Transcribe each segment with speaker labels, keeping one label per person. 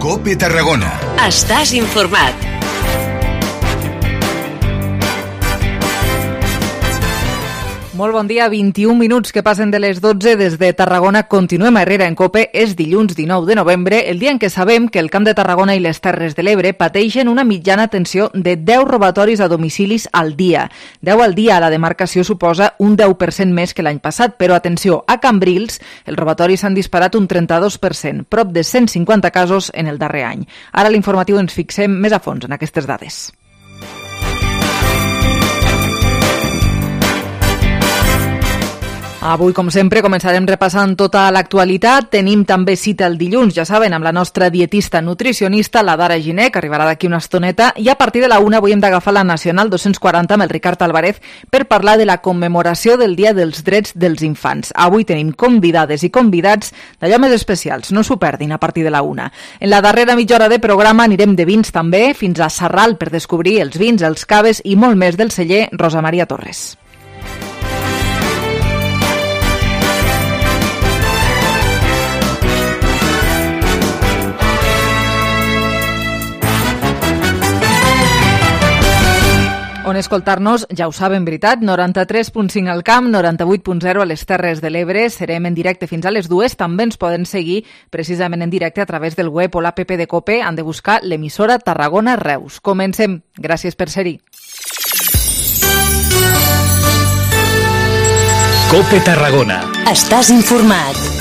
Speaker 1: COPE Tarragona.
Speaker 2: Estàs informat.
Speaker 3: Molt bon dia, 21 minuts que passen de les 12 des de Tarragona. Continuem a Herrera en COPE. És dilluns 19 de novembre, el dia en què sabem que el Camp de Tarragona i les Terres de l'Ebre pateixen una mitjana tensió de 10 robatoris a domicilis al dia. 10 al dia a la demarcació suposa un 10% més que l'any passat, però atenció, a Cambrils els robatoris s'han disparat un 32%, prop de 150 casos en el darrer any. Ara a l'informatiu ens fixem més a fons en aquestes dades. Avui, com sempre, començarem repassant tota l'actualitat. Tenim també cita el dilluns, ja saben, amb la nostra dietista nutricionista, la Dara Giner, que arribarà d'aquí una estoneta, i a partir de la 1 avui hem d'agafar la Nacional 240 amb el Ricard Álvarez per parlar de la commemoració del Dia dels Drets dels Infants. Avui tenim convidades i convidats d'allò més especials, no s'ho perdin a partir de la 1. En la darrera mitja hora de programa anirem de vins també, fins a Sarral per descobrir els vins, els caves i molt més del celler Rosa Maria Torres. On escoltar-nos, ja ho saben, veritat, 93.5 al camp, 98.0 a les Terres de l'Ebre. Serem en directe fins a les 2. També ens poden seguir precisament en directe a través del web o l'app de COPE. Han de buscar l'emissora Tarragona Reus. Comencem. Gràcies per ser-hi.
Speaker 1: COPE Tarragona.
Speaker 2: Estàs informat.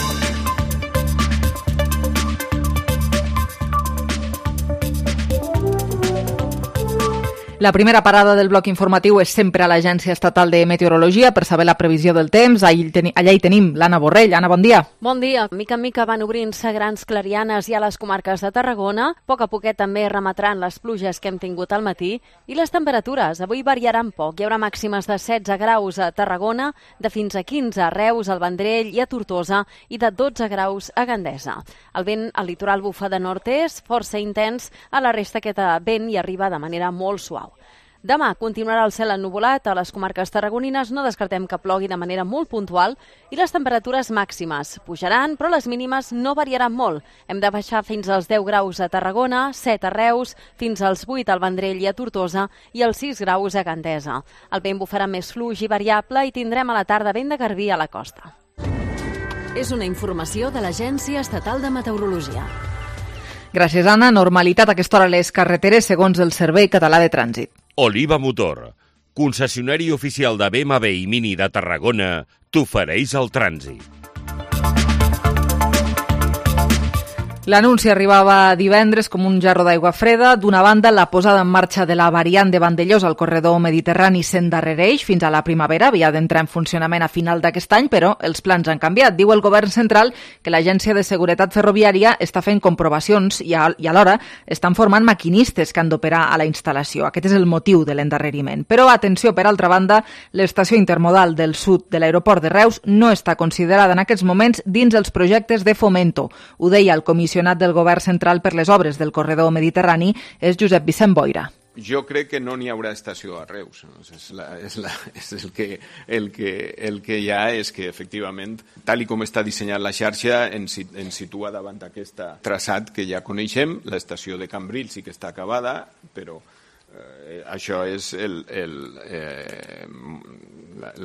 Speaker 3: La primera parada del bloc informatiu és sempre a l'Agència Estatal de Meteorologia per saber la previsió del temps. Allà hi tenim l'Anna Borrell. Anna, bon dia.
Speaker 4: Bon dia. Mica en mica van obrint-se grans clarianes ja a les comarques de Tarragona. A poc a poquet també remetran les pluges que hem tingut al matí. I les temperatures avui variaran poc. Hi haurà màximes de 16 graus a Tarragona, de fins a 15 a Reus, al Vendrell i a Tortosa, i de 12 graus a Gandesa. El vent al litoral bufa de nord-est, força intens, a la resta aquest vent hi arriba de manera molt suau. Demà continuarà el cel ennuvolat a les comarques tarragonines, no descartem que plogui de manera molt puntual i les temperatures màximes pujaran, però les mínimes no variaran molt. Hem de baixar fins als 10 graus a Tarragona, 7 a Reus, fins als 8 al Vendrell i a Tortosa i als 6 graus a Gandesa. El vent bufarà més fluix i variable i tindrem a la tarda vent de garbí a la costa.
Speaker 2: És una informació de l'Agència Estatal de Meteorologia.
Speaker 3: Gràcies, Anna. Normalitat a aquesta hora a les carreteres segons el Servei Català de Trànsit.
Speaker 5: Oliva Motor, concessionari oficial de BMW i Mini de Tarragona, t'ofereix el trànsit.
Speaker 3: L'anunci arribava divendres com un jarro d'aigua freda. D'una banda, la posada en marxa de la variant de Vandellós al corredor mediterrani s'endarrereix fins a la primavera. Havia d'entrar en funcionament a final d'aquest any, però els plans han canviat. Diu el govern central que l'Agència de Seguretat Ferroviària està fent comprovacions i alhora estan formant maquinistes que han d'operar a la instal·lació. Aquest és el motiu de l'endarreriment. Però, atenció, per altra banda, l'estació intermodal del sud de l'aeroport de Reus no està considerada en aquests moments dins els projectes de Fomento. Ho deia el comissionat del govern central per les obres del corredor mediterrani, és Josep Vicent Boira.
Speaker 6: Jo crec que no n'hi haurà estació a Reus. El que hi ha és que, efectivament, tal com està dissenyat la xarxa, ens situa davant aquest traçat que ja coneixem. L'estació de Cambrils sí que està acabada, però això és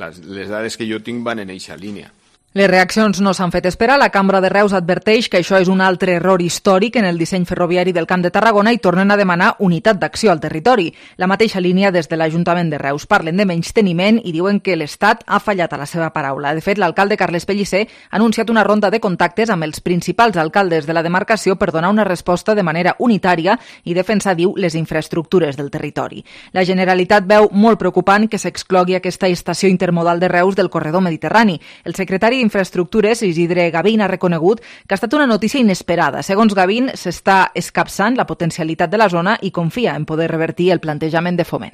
Speaker 6: les dades que jo tinc van en eixa línia.
Speaker 3: Les reaccions no s'han fet esperar. La Cambra de Reus adverteix que això és un altre error històric en el disseny ferroviari del Camp de Tarragona i tornen a demanar unitat d'acció al territori. La mateixa línia des de l'Ajuntament de Reus. Parlen de menysteniment i diuen que l'Estat ha fallat a la seva paraula. De fet, l'alcalde Carles Pellicer ha anunciat una ronda de contactes amb els principals alcaldes de la demarcació per donar una resposta de manera unitària i defensar, diu, les infraestructures del territori. La Generalitat veu molt preocupant que s'exclogui aquesta estació intermodal de Reus del corredor mediterrani. El secretari d'Infraestructures, Isidre Gavín, ha reconegut que ha estat una notícia inesperada. Segons Gavín, s'està escapçant la potencialitat de la zona i confia en poder revertir el plantejament de Foment.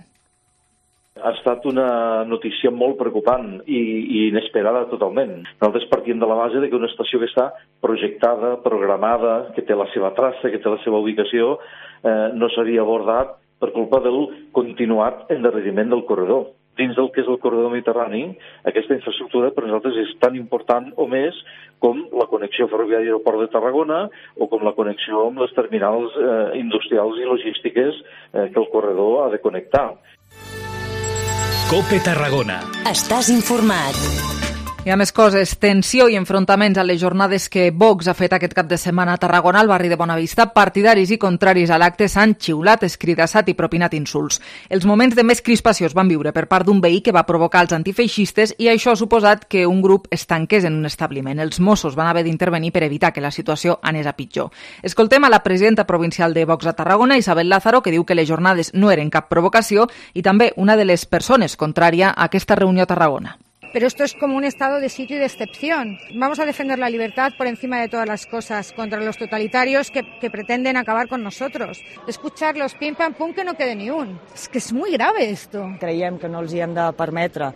Speaker 7: Ha estat una notícia molt preocupant i inesperada totalment. Nosaltres partim de la base de que una estació que està projectada, programada, que té la seva traça, que té la seva ubicació, no s'havia abordat per culpa del continuat endarreriment del corredor. dins del que és el corredor mediterrani, aquesta infraestructura per nosaltres és tan important o més com la connexió ferroviària al Port de Tarragona o com la connexió amb les terminals industrials i logístiques que el corredor ha de connectar.
Speaker 1: COPE Tarragona.
Speaker 2: Estàs informat.
Speaker 3: Hi ha més coses. Tensió i enfrontaments a les jornades que Vox ha fet aquest cap de setmana a Tarragona, al barri de Bonavista. Partidaris i contraris a l'acte s'han xiulat, escridassat i propinat insults. Els moments de més crispació es van viure per part d'un veí que va provocar els antifeixistes i això ha suposat que un grup es tanqués en un establiment. Els Mossos van haver d'intervenir per evitar que la situació anés a pitjor. Escoltem a la presidenta provincial de Vox a Tarragona, Isabel Lázaro, que diu que les jornades no eren cap provocació i també una de les persones contrària a aquesta reunió a Tarragona.
Speaker 8: Pero esto es como un estado de sitio y de excepción. Vamos a defender la libertad por encima de todas las cosas contra los totalitarios que pretenden acabar con nosotros. Escuchar los pim pam pum que no quede ni un. Es que és molt grave esto.
Speaker 9: Creiem que no els hi hem de permetre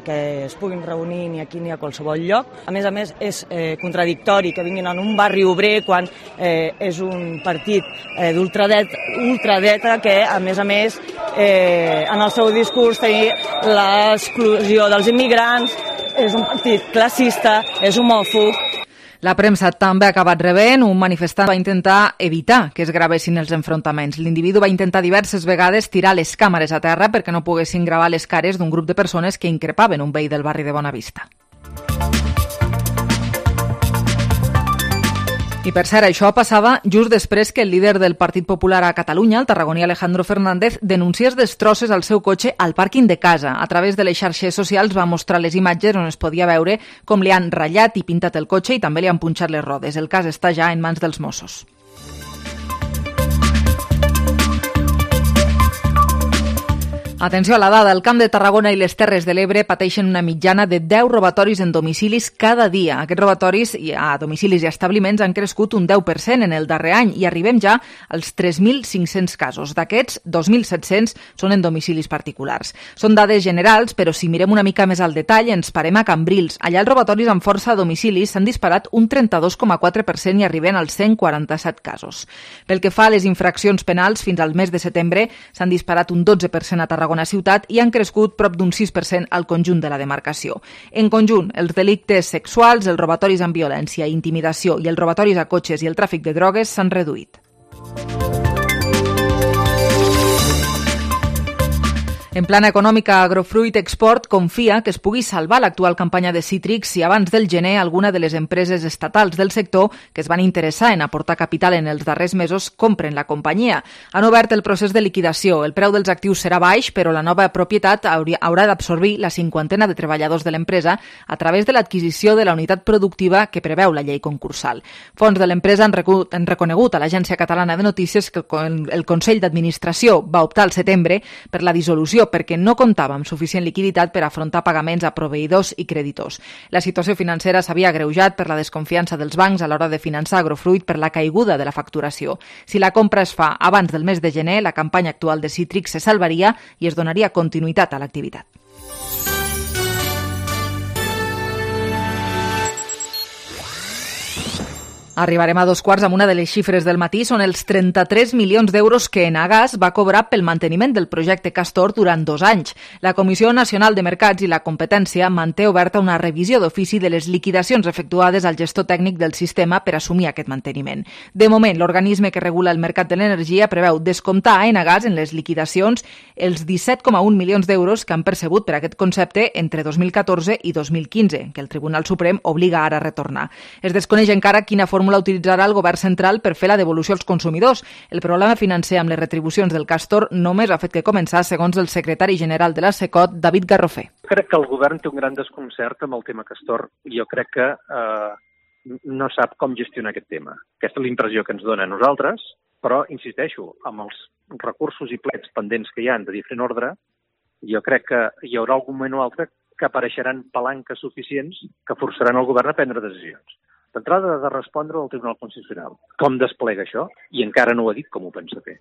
Speaker 9: que es puguin reunir ni aquí ni a qualsevol lloc. A més, és contradictori que vinguin en un barri obrer quan és un partit d'ultradreta que, a més, en el seu discurs tenia l'exclusió dels immigrants. És un partit classista, és homòfob.
Speaker 3: La premsa també ha acabat rebent. Un manifestant va intentar evitar que es gravessin els enfrontaments. L'individu va intentar diverses vegades tirar les càmeres a terra perquè no poguessin gravar les cares d'un grup de persones que increpaven un veí del barri de Bonavista. I per cert, això passava just després que el líder del Partit Popular a Catalunya, el tarragoní Alejandro Fernández, denunciés destrosses al seu cotxe al pàrquing de casa. A través de les xarxes socials va mostrar les imatges on es podia veure com li han ratllat i pintat el cotxe i també li han punxat les rodes. El cas està ja en mans dels Mossos. Atenció a la dada, el Camp de Tarragona i les Terres de l'Ebre pateixen una mitjana de 10 robatoris en domicilis cada dia. Aquests robatoris a domicilis i establiments han crescut un 10% en el darrer any i arribem ja als 3.500 casos. D'aquests, 2.700 són en domicilis particulars. Són dades generals, però si mirem una mica més al detall ens parem a Cambrils. Allà els robatoris amb força a domicilis s'han disparat un 32,4% i arriben als 147 casos. Pel que fa a les infraccions penals, fins al mes de setembre s'han disparat un 12% a Tarragona ciutat i han crescut prop d'un 6% al conjunt de la demarcació. En conjunt, els delictes sexuals, els robatoris amb violència i intimidació i els robatoris a cotxes i el tràfic de drogues s'han reduït. En plana econòmica, Agrofruit Export confia que es pugui salvar l'actual campanya de cítrics si abans del gener alguna de les empreses estatals del sector que es van interessar en aportar capital en els darrers mesos compren la companyia. Han obert el procés de liquidació. El preu dels actius serà baix, però la nova propietat haurà d'absorbir la 50 de treballadors de l'empresa a través de l'adquisició de la unitat productiva que preveu la llei concursal. Fons de l'empresa han reconegut a l'Agència Catalana de Notícies que el Consell d'Administració va optar al setembre per la dissolució perquè no comptava amb suficient liquiditat per afrontar pagaments a proveïdors i creditors. La situació financera s'havia agreujat per la desconfiança dels bancs a l'hora de finançar Agrofruit per la caiguda de la facturació. Si la compra es fa abans del mes de gener, la campanya actual de cítrics se salvaria i es donaria continuïtat a l'activitat. Arribarem a 2:15 amb una de les xifres del matí. Són els 33 milions d'euros que Enagás va cobrar pel manteniment del projecte Castor durant 2 anys. La Comissió Nacional de Mercats i la Competència manté oberta una revisió d'ofici de les liquidacions efectuades al gestor tècnic del sistema per assumir aquest manteniment. De moment, l'organisme que regula el mercat de l'energia preveu descomptar a Enagás en les liquidacions els 17,1 milions d'euros que han percebut per aquest concepte entre 2014 i 2015, que el Tribunal Suprem obliga ara a retornar. Es desconeix encara quina fórmula utilitzarà el govern central per fer la devolució als consumidors. El problema financer amb les retribucions del Castor només ha fet que començar, segons el secretari general de la SECOT, David Garrofer.
Speaker 10: Crec que el govern té un gran desconcert amb el tema Castor. Jo crec que no sap com gestionar aquest tema. Aquesta és la impressió que ens dona a nosaltres, però, insisteixo, amb els recursos i plets pendents que hi ha de diferent ordre, jo crec que hi haurà algun moment o altre que apareixeran palanques suficients que forçaran el govern a prendre decisions. D'entrada, de respondre al Tribunal Constitucional. Com desplega això? I encara no ho ha dit com ho pensa fer.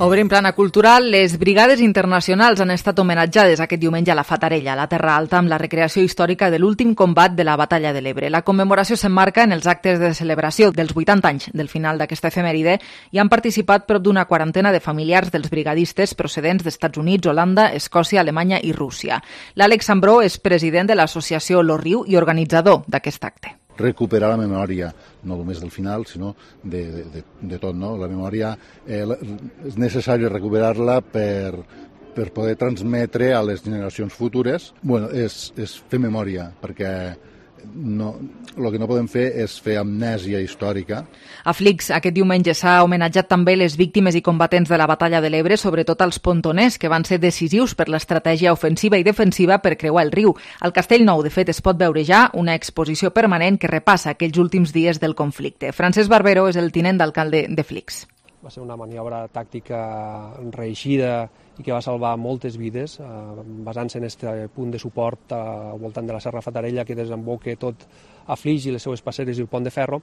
Speaker 3: Obrim plana cultural. Les brigades internacionals han estat homenatjades aquest diumenge a la Fatarella, a la Terra Alta, amb la recreació històrica de l'últim combat de la Batalla de l'Ebre. La commemoració s'emmarca en els actes de celebració dels 80 anys del final d'aquesta efemèride i han participat prop d'una quarantena de familiars dels brigadistes procedents d'Estats Units, Holanda, Escòcia, Alemanya i Rússia. L'Àlex Ambró és president de l'associació Lo Riu i organitzador d'aquest acte.
Speaker 11: Recuperar la memòria, no només del final, sinó de tot, no? La memòria és necessari recuperar-la per poder transmetre a les generacions futures. Bueno, és fer memòria, perquè el que no podem fer és fer amnèsia històrica.
Speaker 3: A Flix, aquest diumenge s'ha homenatjat també les víctimes i combatents de la Batalla de l'Ebre, sobretot els pontoners, que van ser decisius per l'estratègia ofensiva i defensiva per creuar el riu. Al Castell Nou, de fet, es pot veure ja una exposició permanent que repassa aquells últims dies del conflicte. Francesc Barbero és el tinent d'alcalde de Flix.
Speaker 12: Va ser una maniobra tàctica reeixida i que va salvar moltes vides, basant-se en aquest punt de suport al voltant de la Serra Fatarella que desemboca tot a Flix i les seues passeres i el pont de ferro,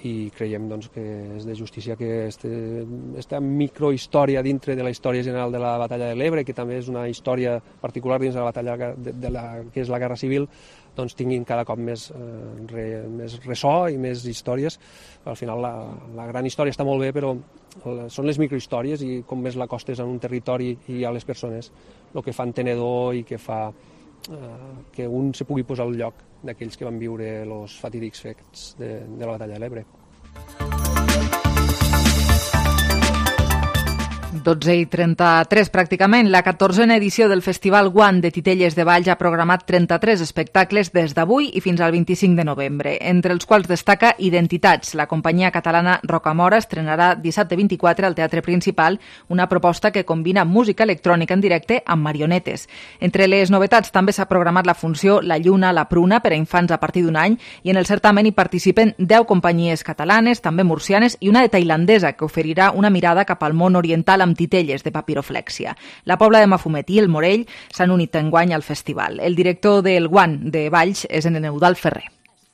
Speaker 12: i creiem doncs, que és de justícia que aquesta microhistòria dintre de la història general de la Batalla de l'Ebre, que també és una història particular dins de la batalla que és la Guerra Civil, doncs tinguin cada cop més ressò i més històries. Al final la gran història està molt bé, però són les microhistòries i com més l'acostes en un territori i a les persones, el que fa entenedor i que fa que un se pugui posar al lloc d'aquells que van viure els fatídics fets de la Batalla de l'Ebre.
Speaker 3: 12:33 pràcticament. La 14a edició del Festival Guant de Titelles de Valls ha programat 33 espectacles des d'avui i fins al 25 de novembre, entre els quals destaca Identitats. La companyia catalana Rocamora estrenarà dissabte 24 al Teatre Principal una proposta que combina música electrònica en directe amb marionetes. Entre les novetats també s'ha programat la funció La Lluna, la Pruna per a infants a partir d'un any, i en el certamen hi participen 10 companyies catalanes, també murcianes, i una de tailandesa que oferirà una mirada cap al món oriental amb titelles de papiroflèxia. La Pobla de Mafumet i el Morell s'han unit enguany al festival. El director del Guant de Valls és en Eudald Ferrer.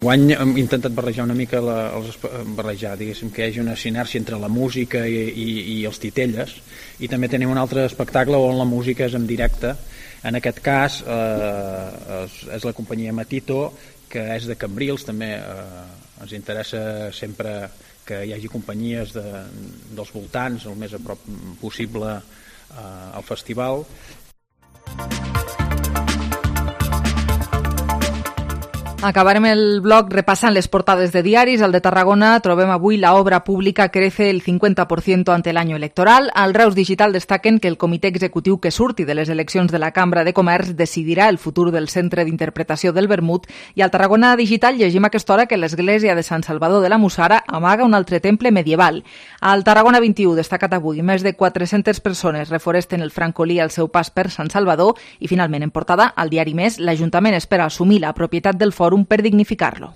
Speaker 13: Guany hem intentat barrejar una mica, diguéssim, que hi hagi una sinèrgia entre la música i els titelles, i també tenim un altre espectacle on la música és en directe. En aquest cas és la companyia Matito, que és de Cambrils, també ens interessa sempre que hi hagi companyies dels voltants el més a prop possible al festival.
Speaker 3: Acabarem el bloc repassant les portades de diaris. Al de Tarragona trobem avui la obra pública crece el 50% ante el año electoral. Al Reus Digital destaquen que el comitè executiu que surti de les eleccions de la Cambra de Comerç decidirà el futur del Centre d'Interpretació del Vermut. I al Tarragona Digital llegim a aquesta hora que l'església de Sant Salvador de la Mussara amaga un altre temple medieval. Al Tarragona 21 destacat avui més de 400 persones reforesten el francolí al seu pas per Sant Salvador. I finalment en portada al diari Més, l'Ajuntament espera assumir la propietat del fòrum per dignificar-lo.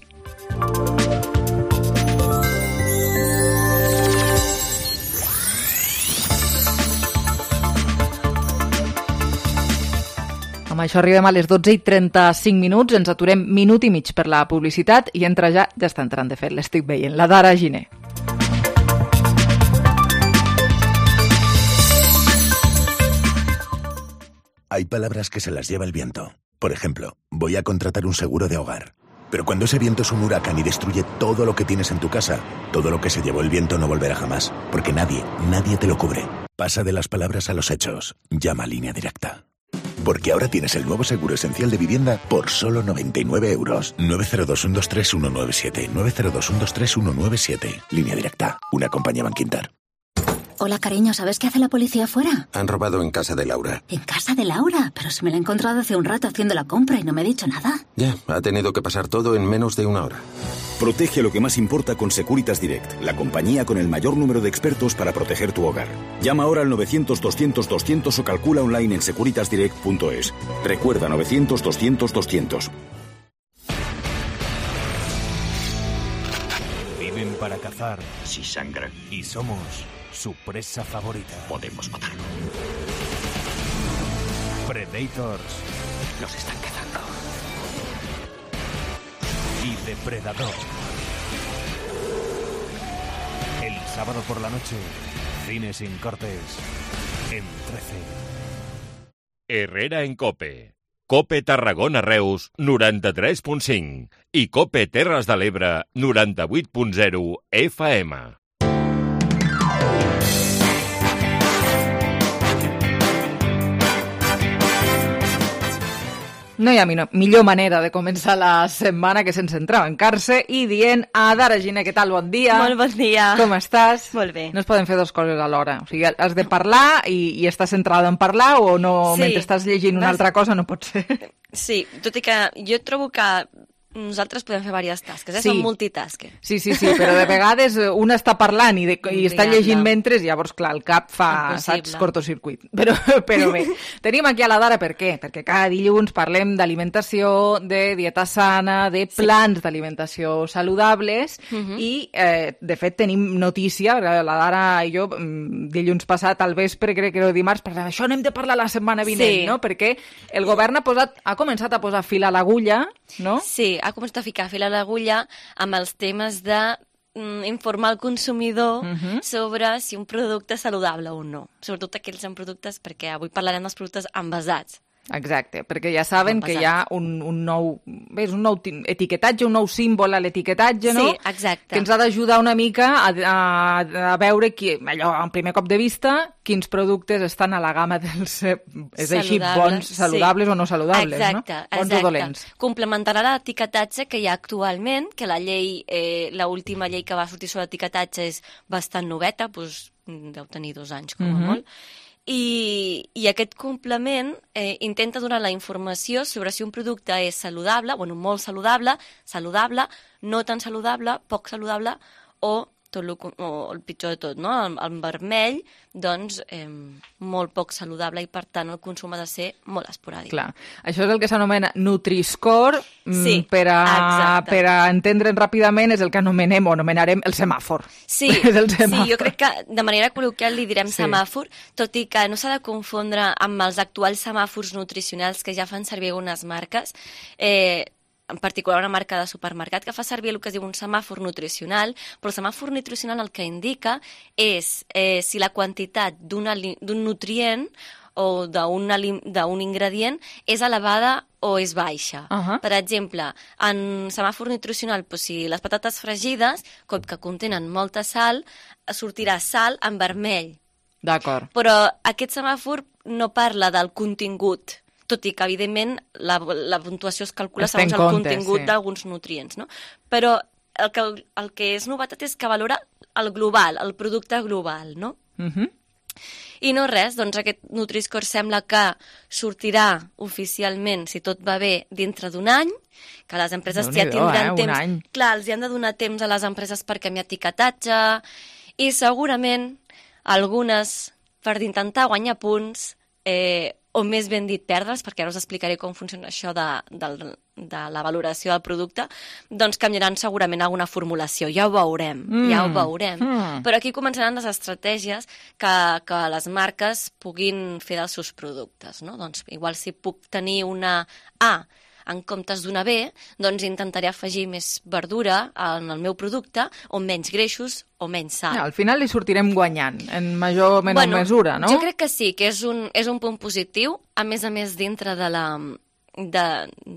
Speaker 3: Amb això arribem a les 12:35. Ens aturem minut i mig per la publicitat i entra ja està entrant, de fet, l'estic veient, la Dara Giner.
Speaker 14: Hay palabras que se las lleva el viento. Por ejemplo, voy a contratar un seguro de hogar. Pero cuando ese viento es un huracán y destruye todo lo que tienes en tu casa, todo lo que se llevó el viento no volverá jamás, porque nadie te lo cubre. Pasa de las palabras a los hechos. Llama a Línea Directa. Porque ahora tienes el nuevo seguro esencial de vivienda por solo 99 euros. 902-123-197. 902-123-197. Línea Directa. Una compañía Bankinter.
Speaker 15: Hola, cariño, ¿sabes qué hace la policía afuera?
Speaker 16: Han robado en casa de Laura.
Speaker 15: ¿En casa de Laura? Pero si me la he encontrado hace un rato haciendo la compra y no me ha dicho nada.
Speaker 16: Ya, ha tenido que pasar todo en menos de una hora.
Speaker 17: Protege lo que más importa con Securitas Direct, la compañía con el mayor número de expertos para proteger tu hogar. Llama ahora al 900-200-200 o calcula online en securitasdirect.es. Recuerda, 900-200-200.
Speaker 1: Viven para cazar.
Speaker 18: Si sangran.
Speaker 1: Y somos su presa favorita.
Speaker 18: Podemos matarlo.
Speaker 1: Predators.
Speaker 18: Nos están cazando.
Speaker 1: Y Depredador. El sábado por la noche, Cine sin cortes en 13.
Speaker 5: Herrera en Cope. Cope Tarragona Reus 93.5 i Cope Terres de l'Ebre 98.0 FM.
Speaker 3: No hi ha millor manera de començar la setmana que sense entrar-se i dient Ada, Regina, què tal? Bon dia.
Speaker 19: Molt bon dia.
Speaker 3: Com estàs?
Speaker 19: Molt bé.
Speaker 3: No es poden fer dues coses alhora. O sigui, has de parlar i estàs centrada en parlar o no,
Speaker 19: sí.
Speaker 3: Mentre estàs llegint una altra cosa no pot ser.
Speaker 19: Sí, tot i que jo trobo que nosaltres podem fer diverses tasques,
Speaker 3: Sí.
Speaker 19: Som multitasker.
Speaker 3: Sí, però de vegades una està parlant i està llegint mentre, llavors, clar, el cap fa, saps, cortocircuit. Però bé, tenim aquí a la Dara per què? Perquè cada dilluns parlem d'alimentació, de dieta sana, de plans d'alimentació saludables i, de fet, tenim notícia, la Dara i jo, dilluns passat al vespre, crec que era dimarts, parlàvem, això n'hem de parlar la setmana vinent, no? Perquè el govern ha començat a posar fil a l'agulla, no?
Speaker 19: Sí, ha començat a ficar fil a l'agulla amb els temes de informar el consumidor sobre si un producte és saludable o no. Sobretot aquells en productes, perquè avui parlarem dels productes envasats.
Speaker 3: Exacte, perquè ja saben que hi ha un nou etiquetatge, un nou símbol a l'etiquetatge, no?
Speaker 19: Sí, exacte.
Speaker 3: Que ens ha d'ajudar una mica a veure, allò, en primer cop de vista, quins productes estan a la gamma dels, és així, bons, saludables o no saludables,
Speaker 19: exacte,
Speaker 3: no? Bons o dolents.
Speaker 19: Complementarà l'etiquetatge que hi ha actualment, que la llei, l'última llei que va sortir sobre l'etiquetatge és bastant noveta, doncs deu tenir 2 anys com a molt, i aquest complement intenta donar la informació sobre si un producte és saludable, molt saludable, no tan saludable, poc saludable o el pitjor de tot, no? El vermell, doncs, molt poc saludable i, per tant, el consum ha de ser molt esporàdic.
Speaker 3: Clar, això és el que s'anomena Nutri-Score, per a entendre'n ràpidament és el que anomenarem el semàfor.
Speaker 19: Sí, jo crec que de manera col·loquial li direm semàfor, tot i que no s'ha de confondre amb els actuals semàfors nutricionals que ja fan servir algunes marques, en particular una marca de supermercat que fa servir el que es diu un semàfor nutricional, però el semàfor nutricional el que indica és si la quantitat d'un nutrient o d'un ingredient és elevada o és baixa. Per exemple, en semàfor nutricional, si les patates fregides, com que contenen molta sal, sortirà sal en vermell.
Speaker 3: D'acord.
Speaker 19: Però aquest semàfor no parla del contingut, tot i que, evidentment, la puntuació es calcula segons el contingut d'alguns nutrients, no? Però el que és novetat és que valora el global, el producte global, no? I no res, doncs aquest Nutri-Score sembla que sortirà oficialment, si tot va bé, dintre d'un any, que les empreses ja tindran temps. Clar, els hi han de donar temps a les empreses per canviar etiquetatge i segurament algunes, per intentar guanyar punts, o més ben dit perdre's, perquè ara us explicaré com funciona això de la valoració del producte, doncs canviaran segurament alguna formulació. Ja ho veurem. Però aquí començaran les estratègies que les marques puguin fer dels seus productes, no? Doncs igual si puc tenir una A en comptes d'una B, doncs intentaré afegir més verdura en el meu producte, o menys greixos o menys sal.
Speaker 3: Al final li sortirem guanyant, en major o menor mesura, no?
Speaker 19: Jo crec que sí, que és un punt positiu, a més dintre de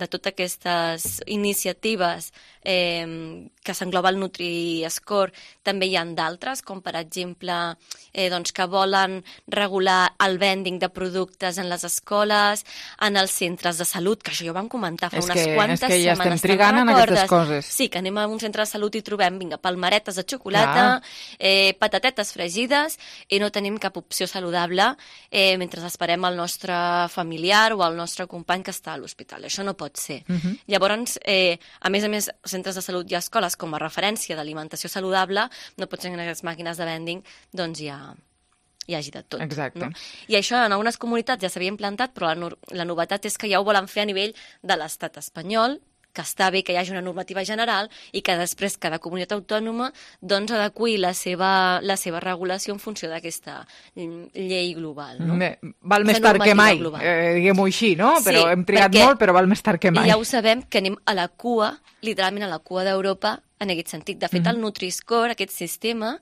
Speaker 19: totes aquestes iniciatives que s'engloba el Nutri-Score, també hi ha d'altres, com per exemple que volen regular el vending de productes en les escoles, en els centres de salut, que això ja ho vam comentar fa unes quantes setmanes.
Speaker 3: És que ja estem trigant en aquestes coses.
Speaker 19: Sí, que anem a un centre de salut i trobem, palmeretes de xocolata, patatetes fregides, i no tenim cap opció saludable mentre esperem el nostre familiar o el nostre company que està a l'hospital. Això no pot ser. Llavors, a més, centres de salut i escoles com a referència d'alimentació saludable, no pot ser que en les màquines de vending doncs hi hagi de tot.
Speaker 3: Exacte.
Speaker 19: No? I això en algunes comunitats ja s'havia implantat, però la novetat és que ja ho volen fer a nivell de l'estat espanyol, que està bé que hi hagi una normativa general i que després cada comunitat autònoma doncs adeqüi la seva regulació en funció d'aquesta llei global. No?
Speaker 3: Val més tard que mai, diguem-ho així, no? Però hem trigat molt, però val més tard que mai.
Speaker 19: Ja ho sabem, que anem a la cua, literalment a la cua d'Europa, en aquest sentit. De fet, el Nutri-Score, aquest sistema,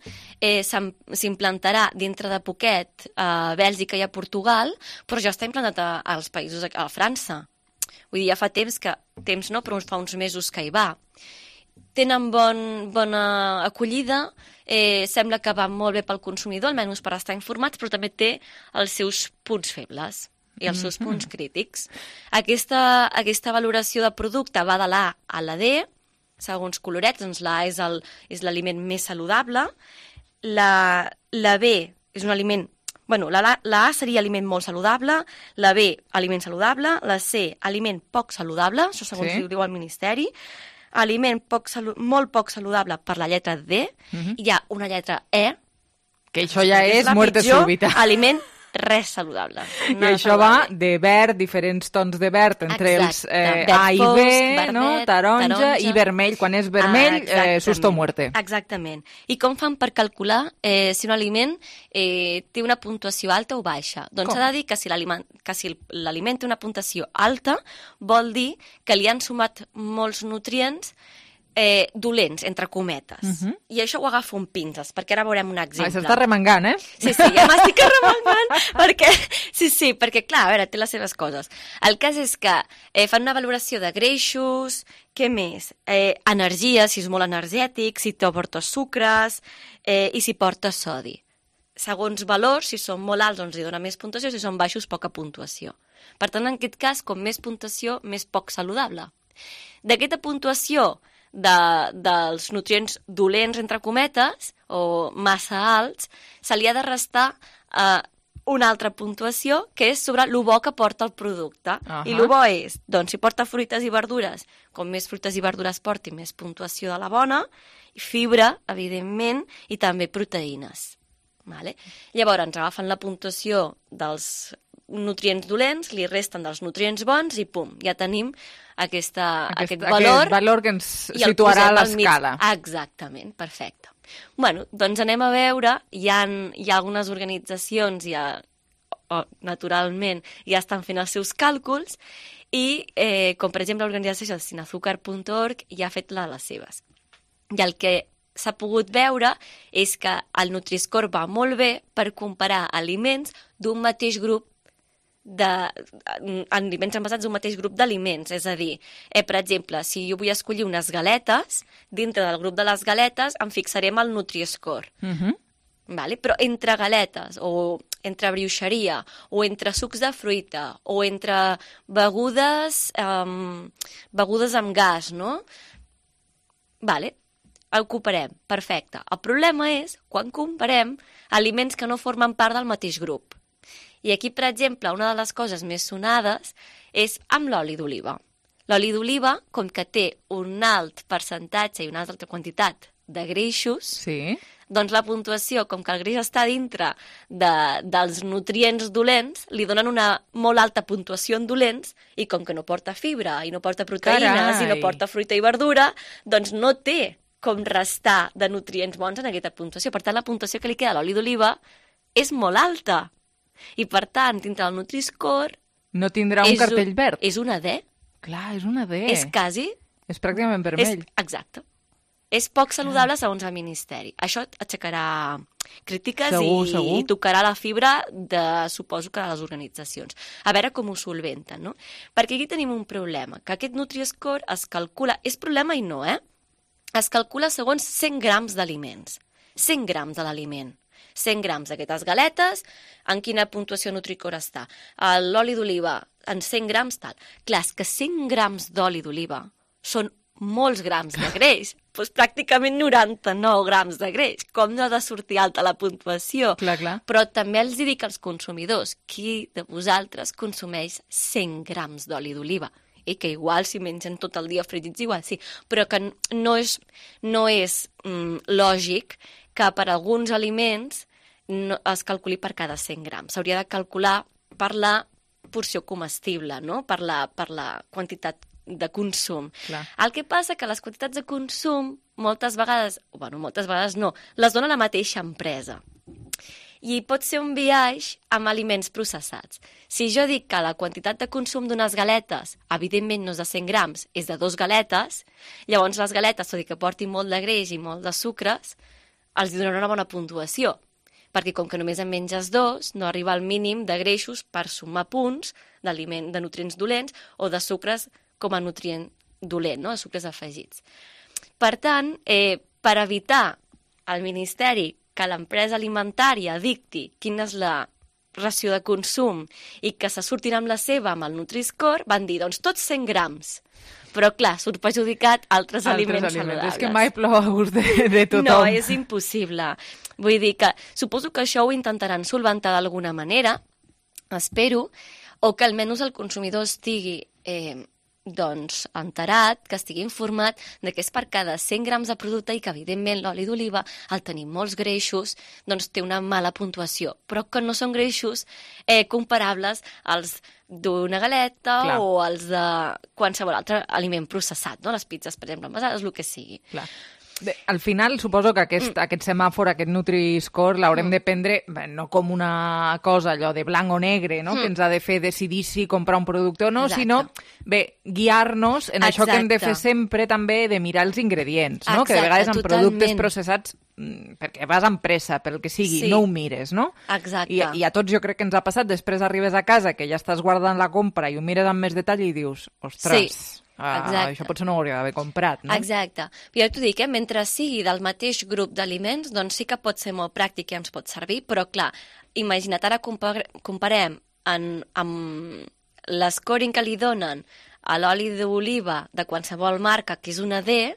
Speaker 19: s'implantarà dintre de poquet a Bèlgica i a Portugal, però ja està implantat als països, a França. Vull dir, ja fa temps no, però fa uns mesos que hi va. Tenen bona acollida, sembla que va molt bé pel consumidor, almenys per estar informats, però també té els seus punts febles i els seus punts crítics. Aquesta valoració de producte va de l'A a la D, segons colorets, doncs l'A és l'aliment més saludable, la B és un aliment... Bueno, la A seria aliment molt saludable, la B, aliment saludable, la C, aliment poc saludable, això segons diu el Ministeri, aliment molt poc saludable per la lletra D, i hi ha una lletra E,
Speaker 3: que això ja és muerte súbita.
Speaker 19: Aliment res saludable.
Speaker 3: I això va de verd, diferents tons de verd, entre els A i B, taronja i vermell. Quan és vermell, susto o muerte.
Speaker 19: Exactament. I com fan per calcular si un aliment té una puntuació alta o baixa? Doncs s'ha de dir que si l'aliment té una puntuació alta, vol dir que li han sumat molts nutrients dolents, entre cometes. I això ho agafo amb pinces, perquè ara veurem un exemple.
Speaker 3: S'està remengant,
Speaker 19: Sí, ja m'estic remengant, perquè, clar, a veure, té les seves coses. El cas és que fan una valoració de greixos, què més? Energia, si és molt energètic, si porta sucres i si porta sodi. Segons valors, si són molt alts, doncs hi dona més puntuació, si són baixos, poca puntuació. Per tant, en aquest cas, com més puntuació, més poc saludable. D'aquesta puntuació dels nutrients dolents, entre cometes, o massa alts, se li ha de restar una altra puntuació, que és sobre lo bo que porta el producte. I lo bo és, doncs, si porta fruites i verdures, com més fruites i verdures porti, més puntuació de la bona, i fibra, evidentment, i també proteïnes. Llavors, ens agafen la puntuació dels nutrients dolents, li resten dels nutrients bons i pum, ja tenim aquest valor.
Speaker 3: Aquest valor que ens situarà a l'escala.
Speaker 19: Exactament, perfecte. Bueno, doncs anem a veure, hi ha algunes organitzacions, naturalment, ja estan fent els seus càlculs i, com per exemple l'organització sinazúcar.org ja ha fet les seves. I el que s'ha pogut veure és que el Nutri-Score va molt bé per comparar aliments d'un mateix grup aliments envasats d'un mateix grup d'aliments, és a dir, per exemple, si jo vull escollir unes galetes, dintre del grup de les galetes em fixarem al Nutri-Score. Però entre galetes, o entre brioixeria, o entre sucs de fruita, o entre begudes amb gas, no? El comparem, perfecte. El problema és quan comparem aliments que no formen part del mateix grup. I aquí, per exemple, una de les coses més sonades és amb l'oli d'oliva. L'oli d'oliva, com que té un alt percentatge i una alta quantitat de greixos, doncs la puntuació, com que el greix està dintre dels nutrients dolents, li donen una molt alta puntuació en dolents, i com que no porta fibra, i no porta proteïnes, i no porta fruita i verdura, doncs no té com restar de nutrients bons en aquesta puntuació. Per tant, la puntuació que li queda a l'oli d'oliva és molt alta. I, per tant, dintre del Nutri-Score...
Speaker 3: No tindrà un cartell verd.
Speaker 19: És una D.
Speaker 3: Clar, és una D.
Speaker 19: És quasi...
Speaker 3: És pràcticament vermell.
Speaker 19: Exacte. És poc saludable segons el Ministeri. Això aixecarà crítiques i tocarà la fibra suposo que de les organitzacions. A veure com ho solventen, no? Perquè aquí tenim un problema, que aquest Nutri-Score es calcula... És problema i no, Es calcula segons 100 grams d'aliments. 100 grams de l'aliment. 100 grams d'aquestes galetes, en quina puntuació Nutri-Score està? L'oli d'oliva, en 100 grams, tal. Clar, és que 100 grams d'oli d'oliva són molts grams de greix, doncs pràcticament 99 grams de greix. Com no ha de sortir alta la puntuació?
Speaker 3: Clar.
Speaker 19: Però també els dic als consumidors, qui de vosaltres consumeix 100 grams d'oli d'oliva? I que igual si mengen tot el dia fregits igual, sí, però que no és lògic que per alguns aliments es calculi per cada 100 grams. S'hauria de calcular per la porció comestible, no? Per la quantitat de consum.
Speaker 3: Clar.
Speaker 19: El que passa que les quantitats de consum moltes vegades no, les dona la mateixa empresa. I pot ser un biaix amb aliments processats. Si jo dic que la quantitat de consum d'unes galetes, evidentment no és de 100 grams, és de 2 galetes, llavors les galetes, tot i que portin molt de greix i molt de sucres, els donarà una bona puntuació. Perquè com que només en menges 2, no arriba al mínim de greixos per sumar punts de nutrients dolents o de sucres com a nutrient dolent, no? De sucres afegits. Per tant, per evitar al Ministeri que l'empresa alimentària dicti quina és la ració de consum i que se surtin amb la seva amb el Nutri-Score, van dir, doncs tots 100 grams. Però, clar, surt perjudicat altres aliments saludables.
Speaker 3: És que mai plou a gust de tothom.
Speaker 19: No, és impossible. Vull dir que suposo que això ho intentaran solventar d'alguna manera, espero, o que almenys el consumidor estigui enterat, que estigui informat de que és per cada 100 grams de producte i que, evidentment, l'oli d'oliva, al tenir molts greixos, doncs té una mala puntuació, però que no són greixos comparables als d'una galeta o als de qualsevol altre aliment processat, no? Les pizzas, per exemple, envasades, el que sigui.
Speaker 3: Clar. Al final, suposo que aquest semàfor, aquest Nutri-Score, l'haurem de prendre no com una cosa allò de blanc o negre, no? Que ens ha de fer decidir si comprar un producte o no, sinó, guiar-nos en això que hem de fer sempre també de mirar els ingredients, no? Que de vegades en productes processats, perquè vas amb pressa, pel que sigui, no ho mires, no?
Speaker 19: Exacte.
Speaker 3: I a tots jo crec que ens ha passat, després arribes a casa, que ja estàs guardant la compra i ho mires amb més detall i dius, ostres... això potser no ho hauria d'haver comprat, no?
Speaker 19: Exacte. Jo t'ho dic, mentre sigui del mateix grup d'aliments, doncs sí que pot ser molt pràctic i ens pot servir, però clar, imagina't, ara comparem amb l'escoring que li donen a l'oli d'oliva de qualsevol marca, que és una D,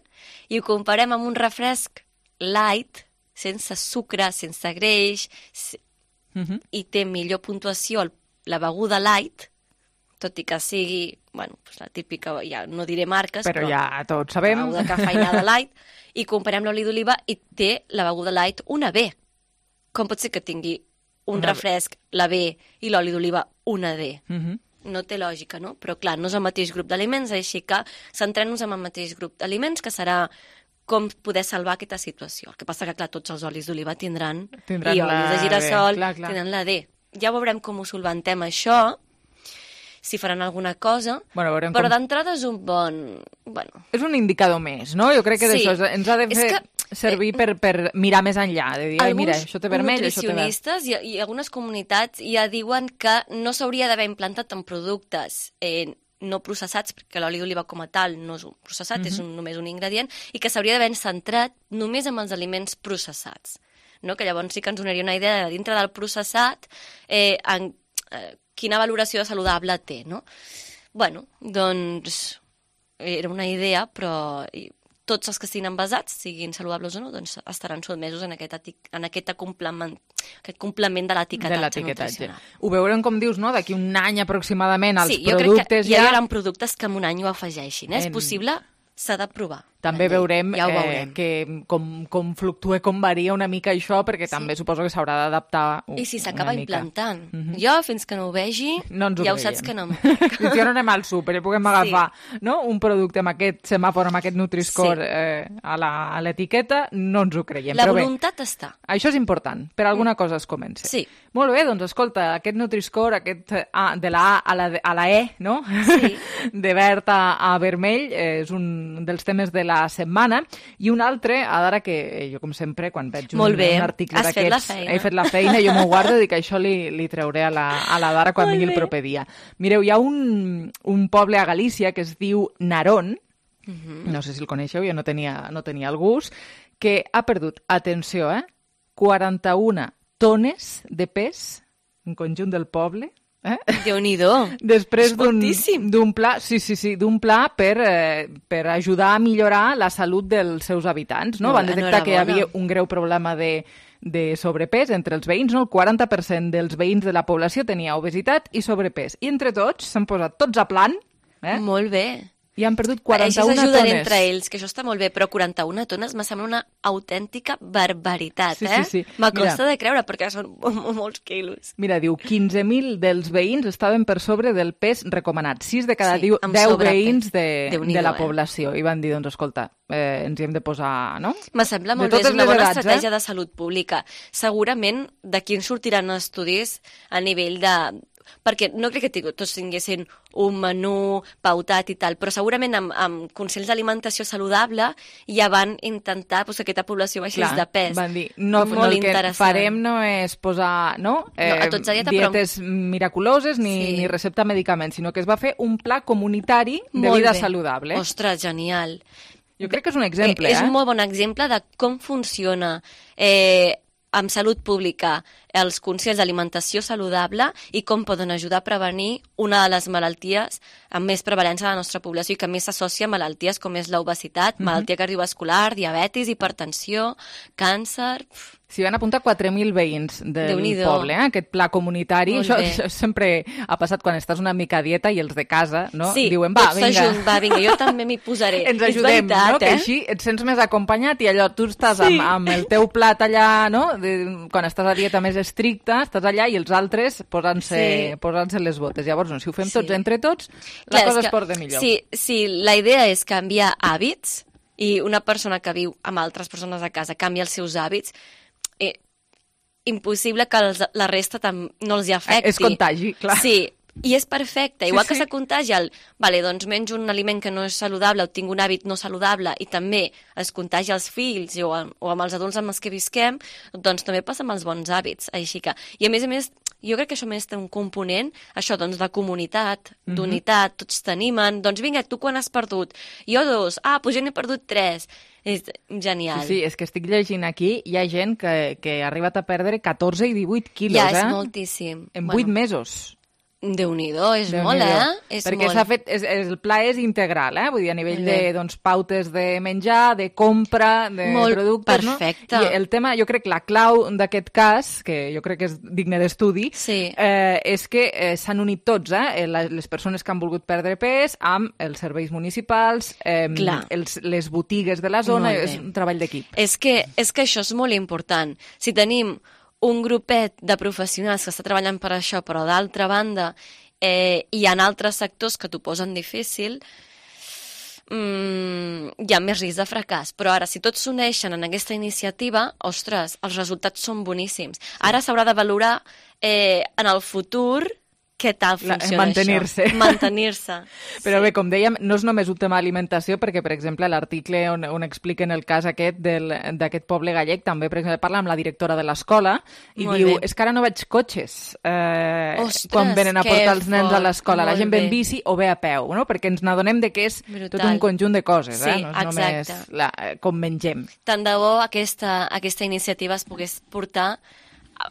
Speaker 19: i ho comparem amb un refresc light, sense sucre, sense greix, i té millor puntuació la beguda light, tot i que sigui, bueno, la típica, ja no diré marques,
Speaker 3: però ja tots sabem.
Speaker 19: La beguda cafeïnada light, i comparem l'oli d'oliva i té la beguda light una B. Com pot ser que tingui un refresc, la B, i l'oli d'oliva una D? No té lògica, no? Però clar, no és el mateix grup d'aliments, així que centrem-nos en el mateix grup d'aliments, que serà com poder salvar aquesta situació. El que passa que, clar, tots els olis d'oliva tindran i olis de girassol tindran la D. Ja veurem com ho solventem això, si faran alguna cosa, però d'entrada és un bon...
Speaker 3: És un indicador més, no? Jo crec que d'això ens ha de fer servir per mirar més enllà, de dir, mira, això té vermell, això té verd.
Speaker 19: Alguns nutricionistes i algunes comunitats ja diuen que no s'hauria d'haver implantat en productes no processats, perquè l'oli d'oliva com a tal no és un processat, és només un ingredient, i que s'hauria d'haver centrat només en els aliments processats. No? Que llavors sí que ens donaria una idea de dintre del processat quina valoració saludable té, no? Bueno, doncs era una idea, però tots els que estiguin envasats, siguin saludables o no, doncs estaran sotmesos en aquest complement de l'etiquetatge nutricional.
Speaker 3: Ho veurem, com dius, no? D'aquí un any aproximadament els productes ja...
Speaker 19: Sí, jo crec que ja hi haurà productes que en un any ho afegeixin. És possible, s'ha de provar.
Speaker 3: També veurem que com fluctua, com varia una mica això, perquè també suposo que s'haurà d'adaptar una mica.
Speaker 19: I si s'acaba implantant. Jo, fins que no ho vegi, ja ho saps que no.
Speaker 3: Fins que no anem al súper i puguem agafar un producte amb aquest semàfor, amb aquest Nutri-Score a l'etiqueta, no ens ho creiem.
Speaker 19: La voluntat està.
Speaker 3: Això és important, per alguna cosa es comença.
Speaker 19: Sí.
Speaker 3: Molt bé, doncs escolta, aquest Nutri-Score, aquest de la A a la E, no? Sí. De verd a vermell, és un dels temes de la setmana, i un altre, ara que jo, com sempre, quan veig un article d'aquests, he fet la feina, jo m'ho guardo, dic que això li trauré a la Dara quan vingui el proper dia. Mireu, hi ha un poble a Galícia que es diu Narón, no sé si el coneixeu, jo no tenia el gust, que ha perdut, atenció, 41 tones de pes, en conjunt del poble,
Speaker 19: Déu-n'hi-do.
Speaker 3: Després d'un pla, d'un pla per ajudar a millorar la salut dels seus habitants, no? Van detectar que hi havia un greu problema de sobrepès entre els veïns, no? El 40% dels veïns de la població tenia obesitat i sobrepès. I entre tots s'han posat tots a plan.
Speaker 19: Molt bé.
Speaker 3: I han perdut 41
Speaker 19: tones. Així s'ajuden entre ells, que això està molt bé, però 41 tones me sembla una autèntica barbaritat,
Speaker 3: Sí.
Speaker 19: Me costa de creure, perquè són molts quilos.
Speaker 3: Mira, diu, 15.000 dels veïns estaven per sobre del pes recomanat. 6 de cada 10 veïns de la població. I van dir, doncs, escolta, ens hi hem de posar, no?
Speaker 19: Me sembla molt bé, és una bona estratègia de salut pública. Segurament d'aquí en sortiran estudis a nivell de... Perquè no crec que tots tinguessin un menú pautat i tal, però segurament amb consells d'alimentació saludable ja van intentar que aquesta població baixés de pes.
Speaker 3: Van dir, el que farem no és posar dietes miraculoses ni recepta medicaments, sinó que es va fer un pla comunitari de vida saludable.
Speaker 19: Ostres, genial.
Speaker 3: Jo crec que és un exemple.
Speaker 19: És un molt bon exemple de com funciona amb salut pública els consells d'alimentació saludable i com poden ajudar a prevenir una de les malalties amb més prevalença de la nostra població i que més s'associa a malalties com és l'obesitat, malaltia cardiovascular, diabetis, hipertensió, càncer...
Speaker 3: S'hi van apuntar 4.000 veïns del poble, aquest pla comunitari. Això sempre ha passat quan estàs una mica a dieta i els de casa, no?
Speaker 19: Sí,
Speaker 3: diuen,
Speaker 19: va, vinga, jo també m'hi posaré.
Speaker 3: Ens ajudem, no? Que així et sents més acompanyat i allò, tu estàs amb el teu plat allà, no? Quan estàs a dieta més estricta, estàs allà i els altres posant-se les botes. Llavors, si ho fem tots entre tots, la cosa es porta millor.
Speaker 19: Sí, la idea és canviar hàbits i una persona que viu amb altres persones a casa canvia els seus hàbits, impossible que la resta no els hi afecti.
Speaker 3: És contagi, clar.
Speaker 19: Sí, i és perfecte. Igual que se contagia doncs menjo un aliment que no és saludable o tinc un hàbit no saludable i també es contagia als fills o amb els adults amb els que visquem, doncs també passa amb els bons hàbits. Així que, i a més, jo crec que això més té un component, això, doncs, de comunitat, d'unitat, tots t'animen, doncs vinga, tu quan has perdut? Jo 2, doncs jo n'he perdut 3. És genial.
Speaker 3: Sí, és que estic llegint aquí, hi ha gent que ha arribat a perdre 14 i 18 quilos,
Speaker 19: Ja, és moltíssim.
Speaker 3: En 8 mesos.
Speaker 19: Déu-n'hi-do, és molt,
Speaker 3: Perquè s'ha fet, el pla és integral, vull dir, a nivell de pautes de menjar, de compra, de productes, no?
Speaker 19: Perfecte.
Speaker 3: I el tema, jo crec, la clau d'aquest cas, que jo crec que és digne d'estudi, és que s'han unit tots, les persones que han volgut perdre pes, amb els serveis municipals, les botigues de la zona, és un treball d'equip.
Speaker 19: És que això és molt important. Si tenim un grupet de professionals que està treballant per això, però d'altra banda hi ha altres sectors que t'ho posen difícil, hi ha més risc de fracàs. Però ara, si tots s'uneixen en aquesta iniciativa, ostres, els resultats són boníssims. Ara s'haurà de valorar en el futur què tal funciona
Speaker 3: Mantenir-se.
Speaker 19: això. Mantenir-se.
Speaker 3: Però bé, com dèiem, no és només un tema d'alimentació, perquè, per exemple, l'article on expliquen el cas aquest d'aquest poble gallec, també, per exemple, parla amb la directora de l'escola i diu, és que ara no veig cotxes quan venen a portar els nens a l'escola. La gent ve en bici o ve a peu, no? Perquè ens n'adonem que és tot un conjunt de coses, no és només com mengem.
Speaker 19: Tant de bo aquesta iniciativa es pogués portar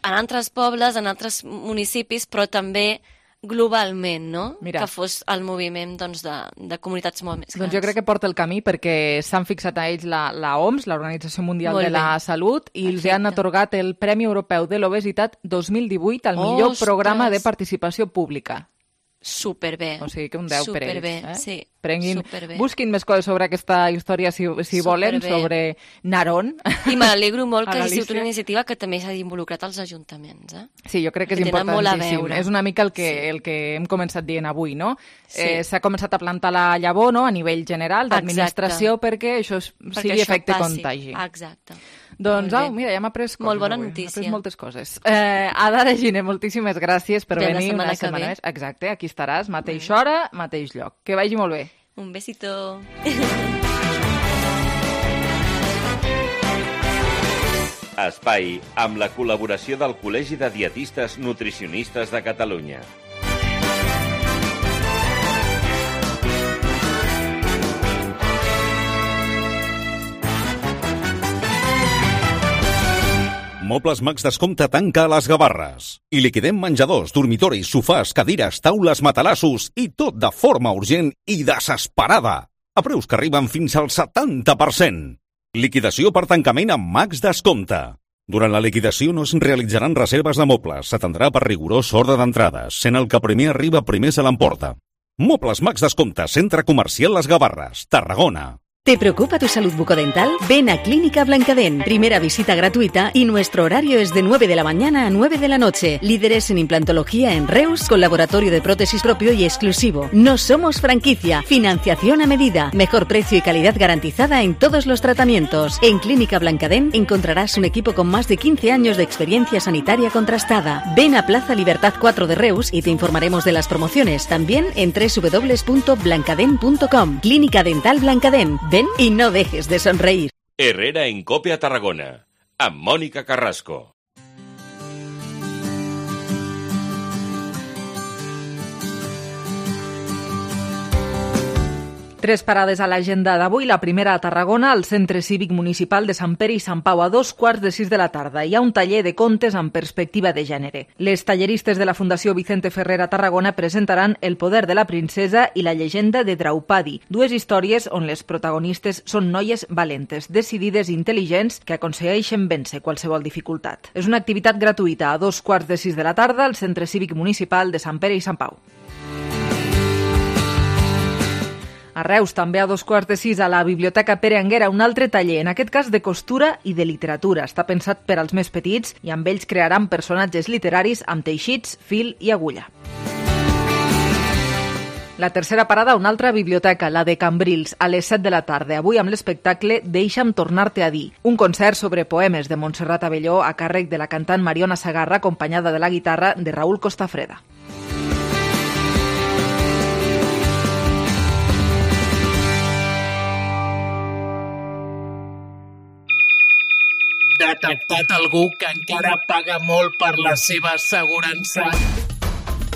Speaker 19: en altres pobles, en altres municipis, però també globalment, no?
Speaker 3: Mira.
Speaker 19: Que fos el moviment de comunitats molt més grans.
Speaker 3: Doncs jo crec que porta el camí perquè s'han fixat a ells la OMS, l'Organització Mundial de la Salut, i els han atorgat el Premi Europeu de l'Obesitat 2018 al millor programa de participació pública.
Speaker 19: Superbé.
Speaker 3: O sigui que un 10 per ells.
Speaker 19: Superbé, sí.
Speaker 3: Prenguin, busquin més coses sobre aquesta història si volen, sobre Narón.
Speaker 19: I m'alegro molt que hagi sigut una iniciativa que també s'hagi involucrat als ajuntaments.
Speaker 3: Sí, jo crec que és importantíssim. És una mica el que hem començat dient avui, no? S'ha començat a plantar la llavor, no?, a nivell general d'administració perquè això sigui efecte contagi.
Speaker 19: Exacte.
Speaker 3: Doncs, mira, ja m'ha après coses.
Speaker 19: Molt bona notícia.
Speaker 3: M'ha après moltes coses. Ada Reginer, moltíssimes gràcies per venir una setmana més. Exacte, aquí estaràs, mateixa hora, mateix lloc. Que vagi molt bé.
Speaker 19: Un besito.
Speaker 5: Espai amb la col·laboració del Col·legi de Dietistes Nutricionistes de Catalunya.
Speaker 17: Mobles Max Descompte tanca a les Gavarres. I liquidem menjadors, dormitoris, sofàs, cadires, taules, matalassos i tot de forma urgent i desesperada. A preus que arriben fins al 70%. Liquidació per tancament amb Max Descompte. Durant la liquidació no es realitzaran reserves de mobles. S'atendrà per rigorós ordre d'entrades, sent el que primer arriba primer se l'emporta. Mobles Max Descompte, Centre Comercial Les Gavarres, Tarragona.
Speaker 2: ¿Te preocupa tu salud bucodental? Ven a Clínica Blancadent. Primera visita gratuita y nuestro horario es de 9 de la mañana a 9 de la noche. Líderes en implantología en Reus, con laboratorio de prótesis propio y exclusivo. No somos franquicia. Financiación a medida. Mejor precio y calidad garantizada en todos los tratamientos. En Clínica Blancadent encontrarás un equipo con más de 15 años de experiencia sanitaria contrastada. Ven a Plaza Libertad 4 de Reus y te informaremos de las promociones. También en www.blancadent.com. Clínica Dental Blancadent. Ven y no dejes de sonreír.
Speaker 5: Herrera en Cope a Tarragona, amb Mònica Carrasco.
Speaker 3: Tres parades a l'agenda d'avui. La primera a Tarragona, al Centre Cívic Municipal de Sant Pere i Sant Pau, a 2:15 de la tarda. Hi ha un taller de contes amb perspectiva de gènere. Les talleristes de la Fundació Vicente Ferrer a Tarragona presentaran El poder de la princesa i la llegenda de Draupadi, dues històries on les protagonistes són noies valentes, decidides i intel·ligents que aconsegueixen vèncer qualsevol dificultat. És una activitat gratuïta a 2:15 de la tarda al Centre Cívic Municipal de Sant Pere i Sant Pau. A Reus, també a 2:15 a la Biblioteca Pere Anguera, un altre taller, en aquest cas de costura i de literatura. Està pensat per als més petits i amb ells crearan personatges literaris amb teixits, fil i agulla. La tercera parada, una altra biblioteca, la de Cambrils, a les 7 de la tarda. Avui amb l'espectacle Deixa'm tornar-te a dir, un concert sobre poemes de Montserrat Abelló a càrrec de la cantant Mariona Sagarra, acompanyada de la guitarra de Raúl Costafreda.
Speaker 20: Detectat algú que encara paga molt per la seva assegurança.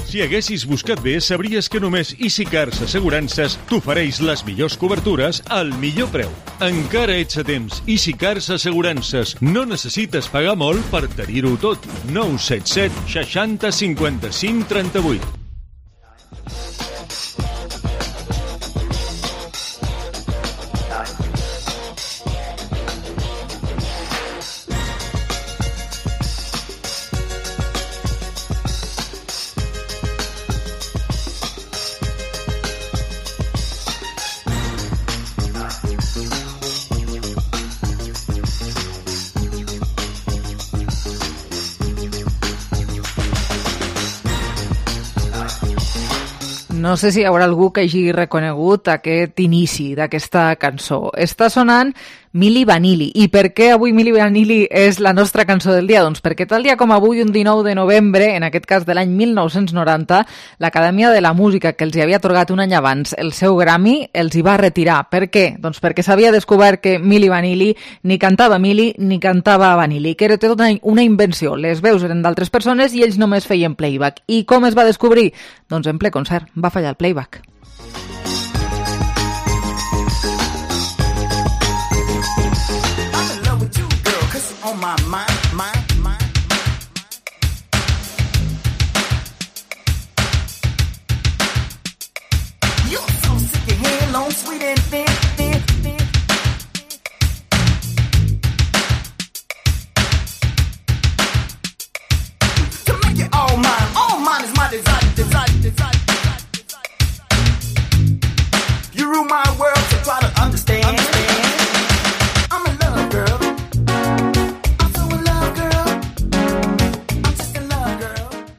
Speaker 21: Si haguessis buscat bé, sabries que només EasyCars Assegurances t'ofereix les millors cobertures al millor preu. Encara ets a temps. EasyCars Assegurances. No necessites pagar molt per tenir-ho tot. 977 60 55 38.
Speaker 3: No sé si hi haurà algú que hagi reconegut aquest inici d'aquesta cançó. Està sonant Milli Vanilli. I per què avui Milli Vanilli és la nostra cançó del dia? Doncs perquè tal dia com avui, un 19 de novembre, en aquest cas de l'any 1990, l'Acadèmia de la Música, que els hi havia atorgat un any abans el seu Grammy, els hi va retirar. Per què? Doncs perquè s'havia descobert que Milli Vanilli ni cantava Milli ni cantava Vanilli, que era tota una invenció. Les veus eren d'altres persones i ells només feien playback. I com es va descobrir? Doncs en ple concert. Va fallar el playback.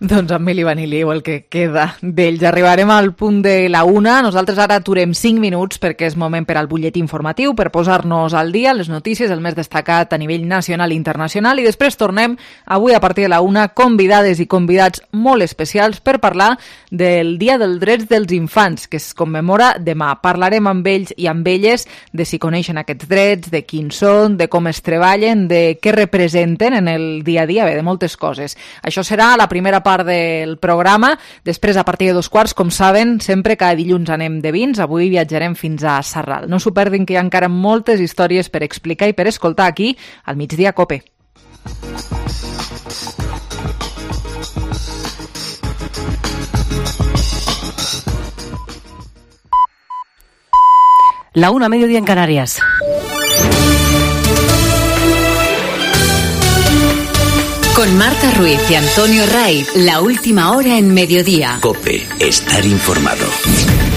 Speaker 3: Doncs amb Milli Vanilli o el que queda d'ells. Arribarem al punt de la 1. Nosaltres ara aturem 5 minuts perquè és moment per al butlletí informatiu, per posar-nos al dia, les notícies, el més destacat a nivell nacional i internacional, i després tornem avui a partir de la 1 convidades i convidats molt especials per parlar del Dia dels Drets dels Infants, que es commemora demà. Parlarem amb ells i amb elles de si coneixen aquests drets, de quins són, de com es treballen, de què representen en el dia a dia, bé, de moltes coses. Això serà la primera part del programa. Després, a partir de 2:15, com saben, sempre cada dilluns anem de vins. Avui viatjarem fins a Sarral. No s'ho perdin, que hi ha encara moltes històries per explicar i per escoltar aquí al Migdia Cope.
Speaker 2: La 1, mediodía en Canarias. Con Marta Ruiz y Antonio Ray, la última hora en mediodía.
Speaker 17: COPE, estar informado.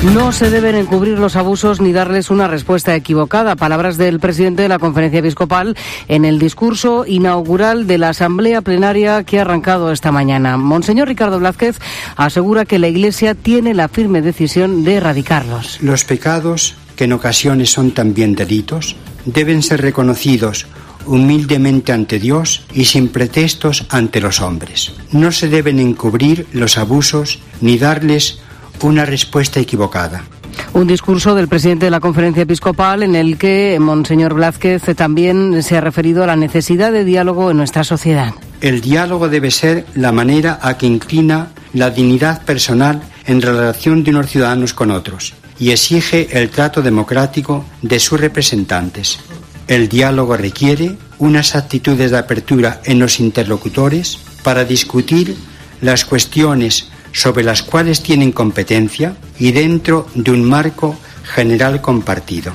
Speaker 4: No se deben encubrir los abusos ni darles una respuesta equivocada. Palabras del presidente de la Conferencia Episcopal en el discurso inaugural de la Asamblea Plenaria que ha arrancado esta mañana. Monseñor Ricardo Blázquez asegura que la Iglesia tiene la firme decisión de erradicarlos.
Speaker 22: Los pecados, que en ocasiones son también delitos, deben ser reconocidos humildemente ante Dios y sin pretextos ante los hombres. No se deben encubrir los abusos ni darles una respuesta equivocada.
Speaker 4: Un discurso del presidente de la Conferencia Episcopal en el que Monseñor Blázquez también se ha referido a la necesidad de diálogo en nuestra sociedad.
Speaker 22: El diálogo debe ser la manera a que inclina la dignidad personal en relación de unos ciudadanos con otros y exige el trato democrático de sus representantes. El diálogo requiere unas actitudes de apertura en los interlocutores para discutir las cuestiones sobre las cuales tienen competencia y dentro de un marco general compartido.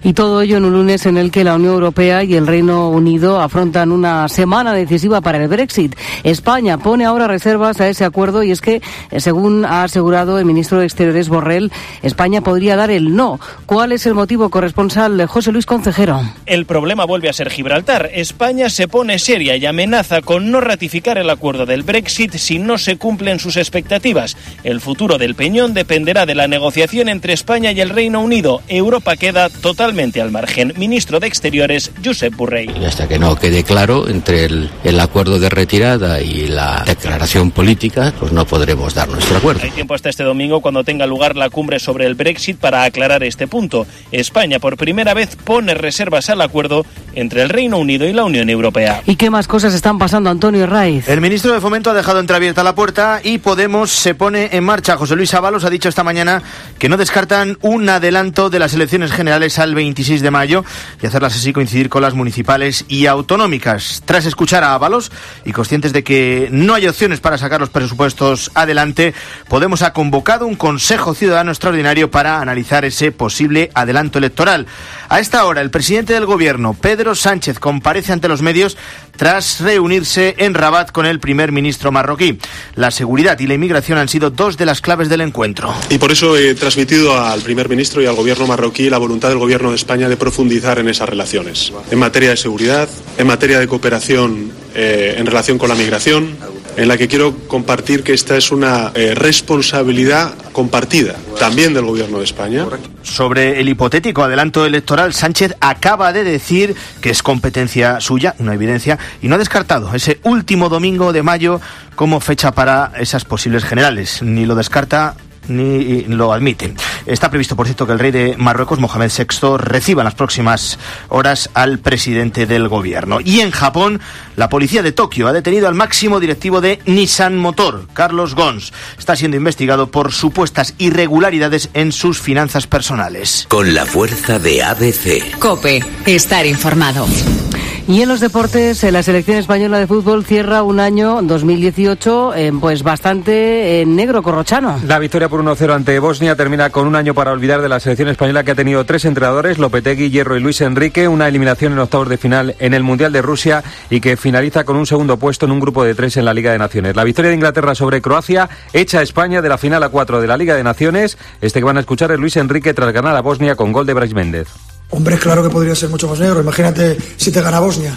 Speaker 4: Y todo ello en un lunes en el que la Unión Europea y el Reino Unido afrontan una semana decisiva para el Brexit. España pone ahora reservas a ese acuerdo y es que, según ha asegurado el ministro de Exteriores Borrell, España podría dar el no. ¿Cuál es el motivo? Corresponsal José Luis Concejero.
Speaker 23: El problema vuelve a ser Gibraltar. España se pone seria y amenaza con no ratificar el acuerdo del Brexit si no se cumplen sus expectativas. El futuro del Peñón dependerá de la negociación entre España y el Reino Unido. Europa queda totalmente al margen. Ministro de Exteriores, Josep Borrell.
Speaker 24: Y hasta que no quede claro entre el acuerdo de retirada y la declaración política, pues no podremos dar nuestro acuerdo.
Speaker 23: Hay tiempo hasta este domingo, cuando tenga lugar la cumbre sobre el Brexit, para aclarar este punto. España, por primera vez, pone reservas al acuerdo entre el Reino Unido y la Unión Europea.
Speaker 4: ¿Y qué más cosas están pasando, Antonio Herraiz?
Speaker 25: El ministro de Fomento ha dejado entreabierta la puerta y Podemos se pone en marcha. José Luis Ábalos ha dicho esta mañana que no descartan un adelanto de las elecciones generales al 26 de mayo y hacerlas así coincidir con las municipales y autonómicas. Tras escuchar a Ábalos y conscientes de que no hay opciones para sacar los presupuestos adelante, Podemos ha convocado un Consejo Ciudadano extraordinario para analizar ese posible adelanto electoral. A esta hora, el presidente del Gobierno, Pedro Sánchez, comparece ante los medios tras reunirse en Rabat con el primer ministro marroquí. La seguridad y la inmigración han sido dos de las claves del encuentro.
Speaker 26: Y por eso he transmitido al primer ministro y al gobierno marroquí la voluntad del gobierno de España de profundizar en esas relaciones, en materia de seguridad, en materia de cooperación en relación con la migración, en la que quiero compartir que esta es una responsabilidad compartida también del gobierno de España.
Speaker 25: Sobre el hipotético adelanto electoral, Sánchez acaba de decir que es competencia suya, una evidencia, y no ha descartado ese último domingo de mayo como fecha para esas posibles generales. Ni lo descarta ni lo admite. Está previsto, por cierto, que el rey de Marruecos, Mohamed VI, reciba en las próximas horas al presidente del gobierno. Y en Japón, la policía de Tokio ha detenido al máximo directivo de Nissan Motor, Carlos Ghosn. Está siendo investigado por supuestas irregularidades en sus finanzas personales.
Speaker 27: Con la fuerza de ABC.
Speaker 2: COPE. Estar informado.
Speaker 4: Y en los deportes, la selección española de fútbol cierra un año 2018 pues bastante negro, corrochano.
Speaker 28: La victoria por 1-0 ante Bosnia termina con un año para olvidar de la selección española, que ha tenido 3 entrenadores, Lopetegui, Hierro y Luis Enrique, una eliminación en octavos de final en el Mundial de Rusia y que finaliza con un segundo puesto en un grupo de 3 en la Liga de Naciones. La victoria de Inglaterra sobre Croacia echa a España de la final a 4 de la Liga de Naciones. Este que van a escuchar es Luis Enrique tras ganar a Bosnia con gol de Brais Méndez.
Speaker 29: Hombre, claro que podría ser mucho más negro. Imagínate si te gana Bosnia.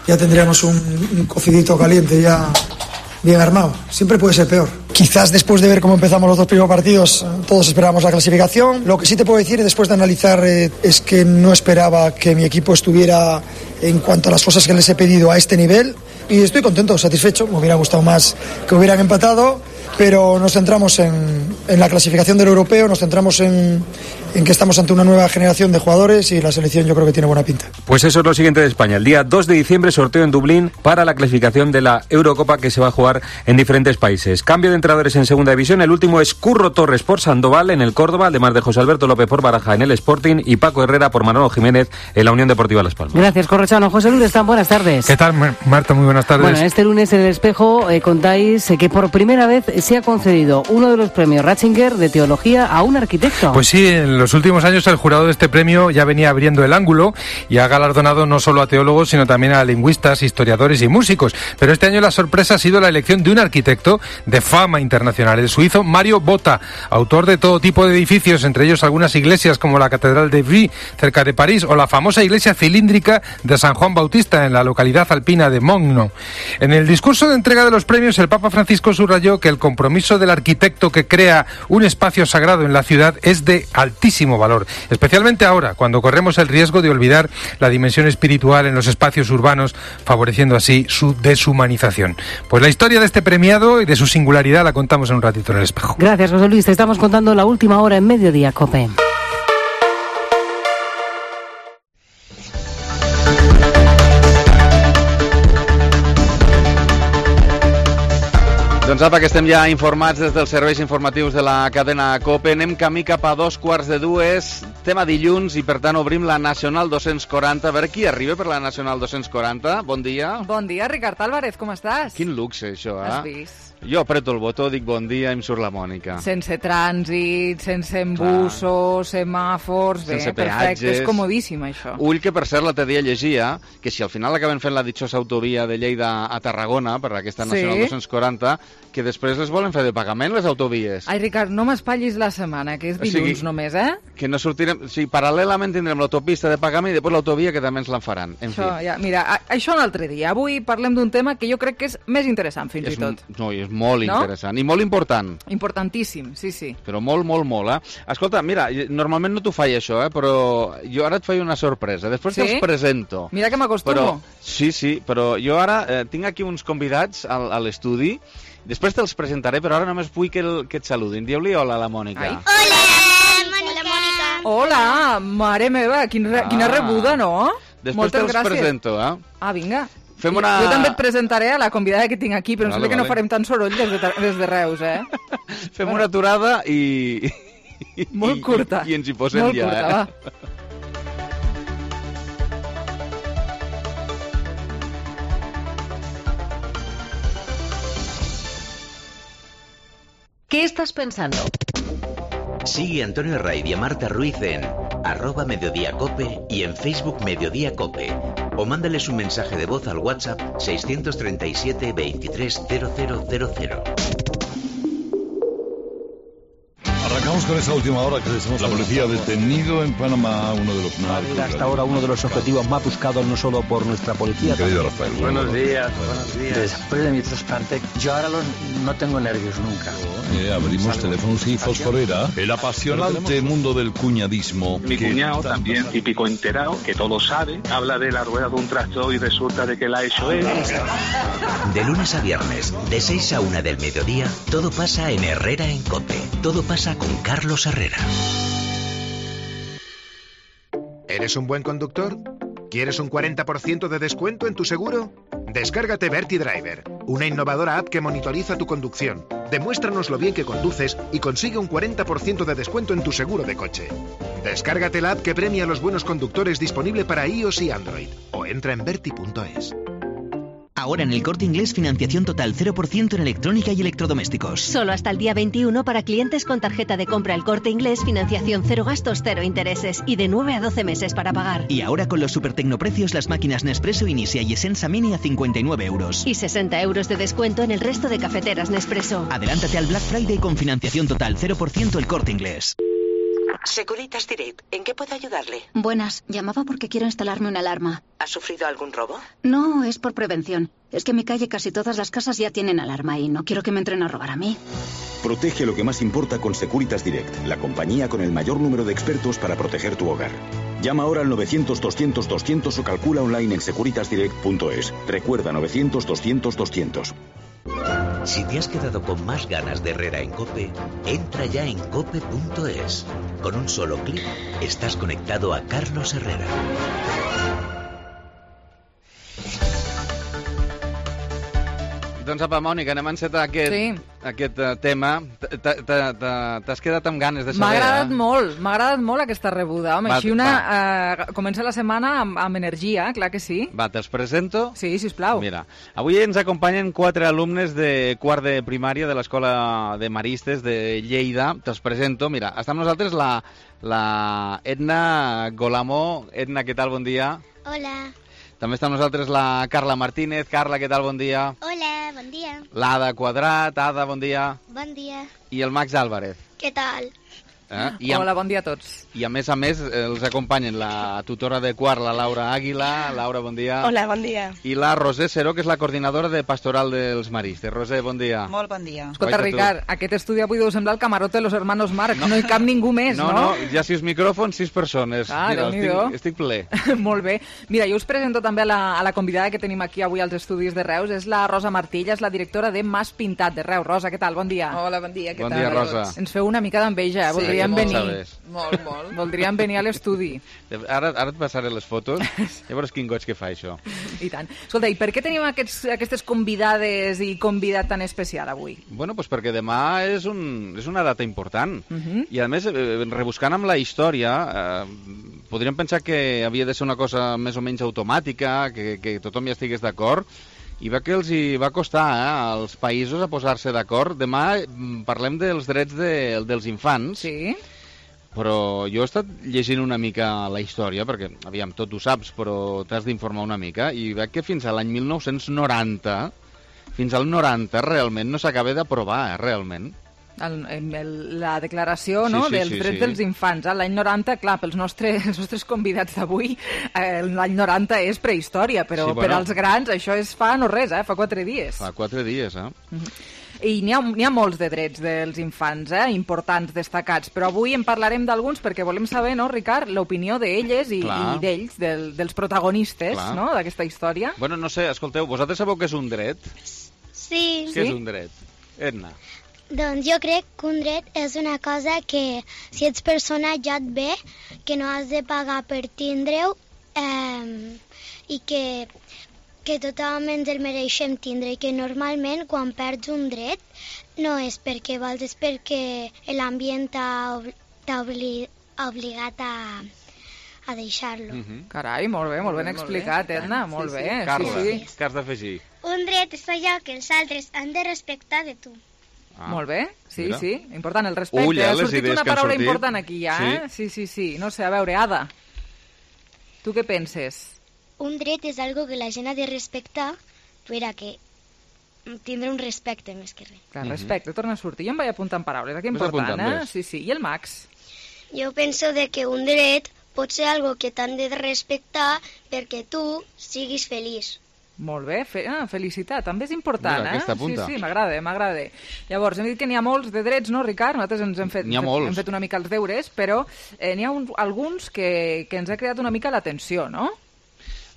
Speaker 29: Ya tendríamos un cocidito caliente ya bien armado. Siempre puede ser peor. Quizás después de ver cómo empezamos los 2 primeros partidos, todos esperábamos la clasificación. Lo que sí te puedo decir, después de analizar, es que no esperaba que mi equipo estuviera, en cuanto a las cosas que les he pedido, a este nivel. Y estoy contento, satisfecho. Me hubiera gustado más que hubieran empatado, pero nos centramos en la clasificación del europeo, nos centramos en que estamos ante una nueva generación de jugadores y la selección yo creo que tiene buena pinta.
Speaker 28: Pues eso es lo siguiente de España. El día 2 de diciembre sorteo en Dublín para la clasificación de la Eurocopa, que se va a jugar en diferentes países. Cambio de entrenadores en segunda división. El último es Curro Torres por Sandoval en el Córdoba, además de José Alberto López por Baraja en el Sporting y Paco Herrera por Manolo Jiménez en la Unión Deportiva Las Palmas.
Speaker 4: Gracias, corrochano. José Luis, buenas tardes.
Speaker 30: ¿Qué tal, Marta? Muy buenas tardes.
Speaker 4: Bueno, este lunes en El Espejo contáis que por primera vez se ha concedido uno de los premios Ratzinger de Teología a un arquitecto.
Speaker 6: Pues sí, en los últimos años el jurado de este premio ya venía abriendo el ángulo y ha galardonado no solo a teólogos, sino también a lingüistas, historiadores y músicos. Pero este año la sorpresa ha sido la elección de un arquitecto de fama internacional, el suizo Mario Botta, autor de todo tipo de edificios, entre ellos algunas iglesias como la Catedral de Vie, cerca de París, o la famosa iglesia cilíndrica de San Juan Bautista, en la localidad alpina de Mogno. En el discurso de entrega de los premios, el Papa Francisco subrayó que el compromiso del arquitecto que crea un espacio sagrado en la ciudad es de altísimo valor, especialmente ahora, cuando corremos el riesgo de olvidar la dimensión espiritual en los espacios urbanos, favoreciendo así su deshumanización. Pues la historia de este premiado y de su singularidad la contamos en un ratito en El Espejo.
Speaker 4: Gracias, José Luis. Te estamos contando la última hora en Mediodía COPE.
Speaker 7: Doncs apa, que estem ja informats des dels serveis informatius de la cadena COPE. Anem camí cap a 2:45. Tema dilluns i, per tant, obrim la Nacional 240. A veure qui arriba per la Nacional 240. Bon dia.
Speaker 3: Bon dia, Ricard Álvarez, com estàs?
Speaker 7: Quin luxe, això, eh?
Speaker 3: Has vist?
Speaker 7: Jo apreto el botó, dic bon dia i em surt la Mònica.
Speaker 3: Sense trànsit, sense embussos, semàfors, bé,
Speaker 7: sense
Speaker 3: perfecte,
Speaker 7: peatges.
Speaker 3: és comodíssim, això.
Speaker 7: Ull que, per cert, l'altre dia llegia que si al final acaben fent la ditxosa autovia de Lleida a Tarragona, per aquesta Nacional 240, que després les volen fer de pagament, les autovies.
Speaker 3: Ai, Ricard, no m'espatllis la setmana, que és dilluns només, eh?
Speaker 7: Que no sortirem... O sigui, paral·lelament tindrem l'autopista de pagament i després l'autovia, que també ens la faran. En
Speaker 3: això,
Speaker 7: fi.
Speaker 3: Ja, mira, això un altre dia. Avui parlem d'un tema que jo crec que és més interessant, fins i tot.
Speaker 7: No, és molt interessant i molt important.
Speaker 3: Importantíssim, sí, sí.
Speaker 7: Però molt, molt, molt, eh? Escolta, mira, normalment no t'ho faig això, però jo ara et faig una sorpresa. Després te'ls presento.
Speaker 3: Mira que m'acostumo.
Speaker 7: Sí, però jo ara tinc aquí uns convidats a l'estudi. Després te'ls presentaré, però ara només vull que et saludin. Dieu-li hola a la Mònica.
Speaker 3: Ai. Hola, mare meva, quina rebuda, no?
Speaker 7: Després te'ls presento, eh?
Speaker 3: Ah, vinga.
Speaker 7: Fem una...
Speaker 3: Jo també et presentaré a la convidada que tinc aquí, però em sembla que no farem tant soroll des de Reus, eh?
Speaker 7: Fem una aturada i...
Speaker 3: Molt curta.
Speaker 7: I ens hi posem
Speaker 3: molt
Speaker 7: ja,
Speaker 3: curta,
Speaker 7: eh?
Speaker 3: Va.
Speaker 8: ¿Qué estás pensando?
Speaker 27: Sigue a Antonio Raid y a Marta Ruiz en @mediodíacope y en Facebook Mediodía Cope. O mándales un mensaje de voz al WhatsApp 637 23 0000.
Speaker 9: Arrancamos con esta última hora que la policía ha detenido en Panamá uno de los narcos.
Speaker 10: Hasta ahora uno de los objetivos más buscados no solo por nuestra policía.
Speaker 9: Querido Rafael.
Speaker 10: Buenos días. Después de mi trasplante, yo ahora no tengo nervios nunca.
Speaker 9: Abrimos teléfonos y fosforera. El apasionante mundo del cuñadismo.
Speaker 11: Mi cuñado también, típico enterado, que todo sabe, habla de la rueda de un tractor y resulta de que la ha hecho él.
Speaker 27: De lunes a viernes, de 6 a 1 del mediodía, todo pasa en Herrera en Cope. Todo pasa con Carlos Herrera.
Speaker 12: ¿Eres un buen conductor? ¿Quieres un 40% de descuento en tu seguro? Descárgate Verti Driver, una innovadora app que monitoriza tu conducción. Demuéstranos lo bien que conduces y consigue un 40% de descuento en tu seguro de coche. Descárgate la app que premia a los buenos conductores, disponible para iOS y Android. O entra en verti.es.
Speaker 13: Ahora en El Corte Inglés, financiación total 0% en electrónica y electrodomésticos.
Speaker 14: Solo hasta el día 21 para clientes con tarjeta de compra El Corte Inglés, financiación 0 gastos, 0 intereses y de 9 a 12 meses para pagar.
Speaker 13: Y ahora con los super tecnoprecios, las máquinas Nespresso Inicia y Essenza Mini a 59 euros.
Speaker 14: Y 60 euros de descuento en el resto de cafeteras Nespresso.
Speaker 13: Adelántate al Black Friday con financiación total 0% El Corte Inglés.
Speaker 30: Securitas Direct, ¿en qué puedo ayudarle?
Speaker 15: Buenas, llamaba porque quiero instalarme una alarma.
Speaker 30: ¿Ha sufrido algún robo?
Speaker 15: No, es por prevención. Es que en mi calle casi todas las casas ya tienen alarma y no quiero que me entren a robar a mí.
Speaker 17: Protege lo que más importa con Securitas Direct, la compañía con el mayor número de expertos para proteger tu hogar. Llama ahora al 900-200-200 o calcula online en securitasdirect.es. Recuerda, 900-200-200.
Speaker 27: Si te has quedado con más ganas de Herrera en Cope, entra ya en cope.es. Con un solo clic estás conectado a Carlos Herrera.
Speaker 7: Doncs apa, Mònica, anem a encetar aquest tema. T'has quedat amb ganes de saber,
Speaker 3: M'ha agradat molt aquesta rebuda. Home, així comença la setmana amb energia, clar que sí.
Speaker 7: Va, te'ls presento?
Speaker 3: Sí, sisplau.
Speaker 7: Mira, avui ens acompanyen 4 alumnes de quart de primària de l'Escola de Maristes de Lleida. Te'ls presento. Mira, està amb nosaltres la Edna Golamo. Edna, què tal? Bon dia.
Speaker 1: Hola.
Speaker 7: També està amb nosaltres la Carla Martínez. Carla, què tal? Bon dia.
Speaker 1: Hola, bon dia.
Speaker 7: L'Ada Quadrat. Ada, bon dia.
Speaker 1: Bon dia.
Speaker 7: I el Max Álvarez.
Speaker 1: Què tal?
Speaker 3: Hola, bon dia a tots.
Speaker 7: I a més, els acompanyen la tutora de quart, la Laura Àguila. Laura, bon dia.
Speaker 1: Hola, bon dia.
Speaker 7: I la Roser Seró, que és la coordinadora de Pastoral dels Maristes. Roser, bon dia.
Speaker 1: Molt bon dia.
Speaker 3: Escolta, Ricard, aquest estudi avui deu semblar el camarote de los hermanos Marx. No hi cap ningú més, no?
Speaker 7: No, hi ha 6 micròfons, 6 persones. Mira, estic ple.
Speaker 3: Molt bé. Mira, jo us presento també a la convidada que tenim aquí avui als estudis de Reus. És la Rosa Martilla, és la directora de Mas Pintat de Reus. Rosa, què tal? Bon dia.
Speaker 1: Hola, bon dia. Què tal?
Speaker 7: Bon dia, Rosa.
Speaker 3: Ens feu una mica d'enveja, voldríem venir.
Speaker 1: Molt.
Speaker 3: Voldríem venir a l'estudi.
Speaker 7: Ara et passaré les fotos. Llavors, quin goig que fa això.
Speaker 3: I tant. Escolta, i per què tenim aquestes convidades i convidat tan especial avui?
Speaker 7: Bueno, doncs perquè demà és una data important. I a més, rebuscant amb la història, podríem pensar que havia de ser una cosa més o menys automàtica, que tothom ja estigués d'acord, i va que els hi va costar als països a posar-se d'acord. Demà parlem dels drets dels infants.
Speaker 3: Sí.
Speaker 7: Però jo he estat llegint una mica la història, perquè, aviam, tot ho saps, però t'has d'informar una mica, i veig que fins a l'any 1990, fins al 90, realment no s'acaba d'aprovar, realment.
Speaker 3: La declaració dels drets dels infants. L'any 90, clar, pels nostres convidats d'avui, l'any 90 és prehistòria, però per als grans això és fa no res, fa 4 dies.
Speaker 7: Fa 4 dies,
Speaker 3: I n'hi ha molts de drets dels infants, importants, destacats, però avui en parlarem d'alguns perquè volem saber, no, Ricard, l'opinió d'elles i d'ells, dels protagonistes, no, d'aquesta història.
Speaker 7: Bueno, no sé, escolteu, vosaltres sabeu què és un dret?
Speaker 1: Sí.
Speaker 7: Què és un dret? Edna.
Speaker 1: Doncs jo crec que un dret és una cosa que si ets persona ja et ve, que no has de pagar per tindre-ho i que tothom ens el mereixem tindre i que normalment quan perds un dret no és perquè vols, és perquè l'ambient t'ha obligat a deixar-lo.
Speaker 3: Carai, molt ben explicat, Edna, molt bé.
Speaker 7: Carla, què has d'afegir?
Speaker 1: Un dret és allò que els altres han de respectar de tu.
Speaker 3: Molt bé, sí, important el respecte. Ha sortit una paraula important aquí ja, Sí. No sé, a veure, Ada, tu què penses?
Speaker 1: Un dret és algo que la gent ha de respectar per a que tindre un respecte més que res.
Speaker 3: Clar, respecte, torna a sortir. Jo em vaig apuntant paraules, que important, Sí. I el Max?
Speaker 1: Jo penso que un dret pot ser algo que t'han de respectar perquè tu siguis feliç.
Speaker 3: Molt bé, felicitat, també és important,
Speaker 7: Aquesta punta.
Speaker 3: Sí, m'agrada. Llavors, hem dit que n'hi ha molts de drets, no, Ricard? Nosaltres ens hem fet una mica els deures, però n'hi ha alguns que ens ha creat una mica l'atenció, no?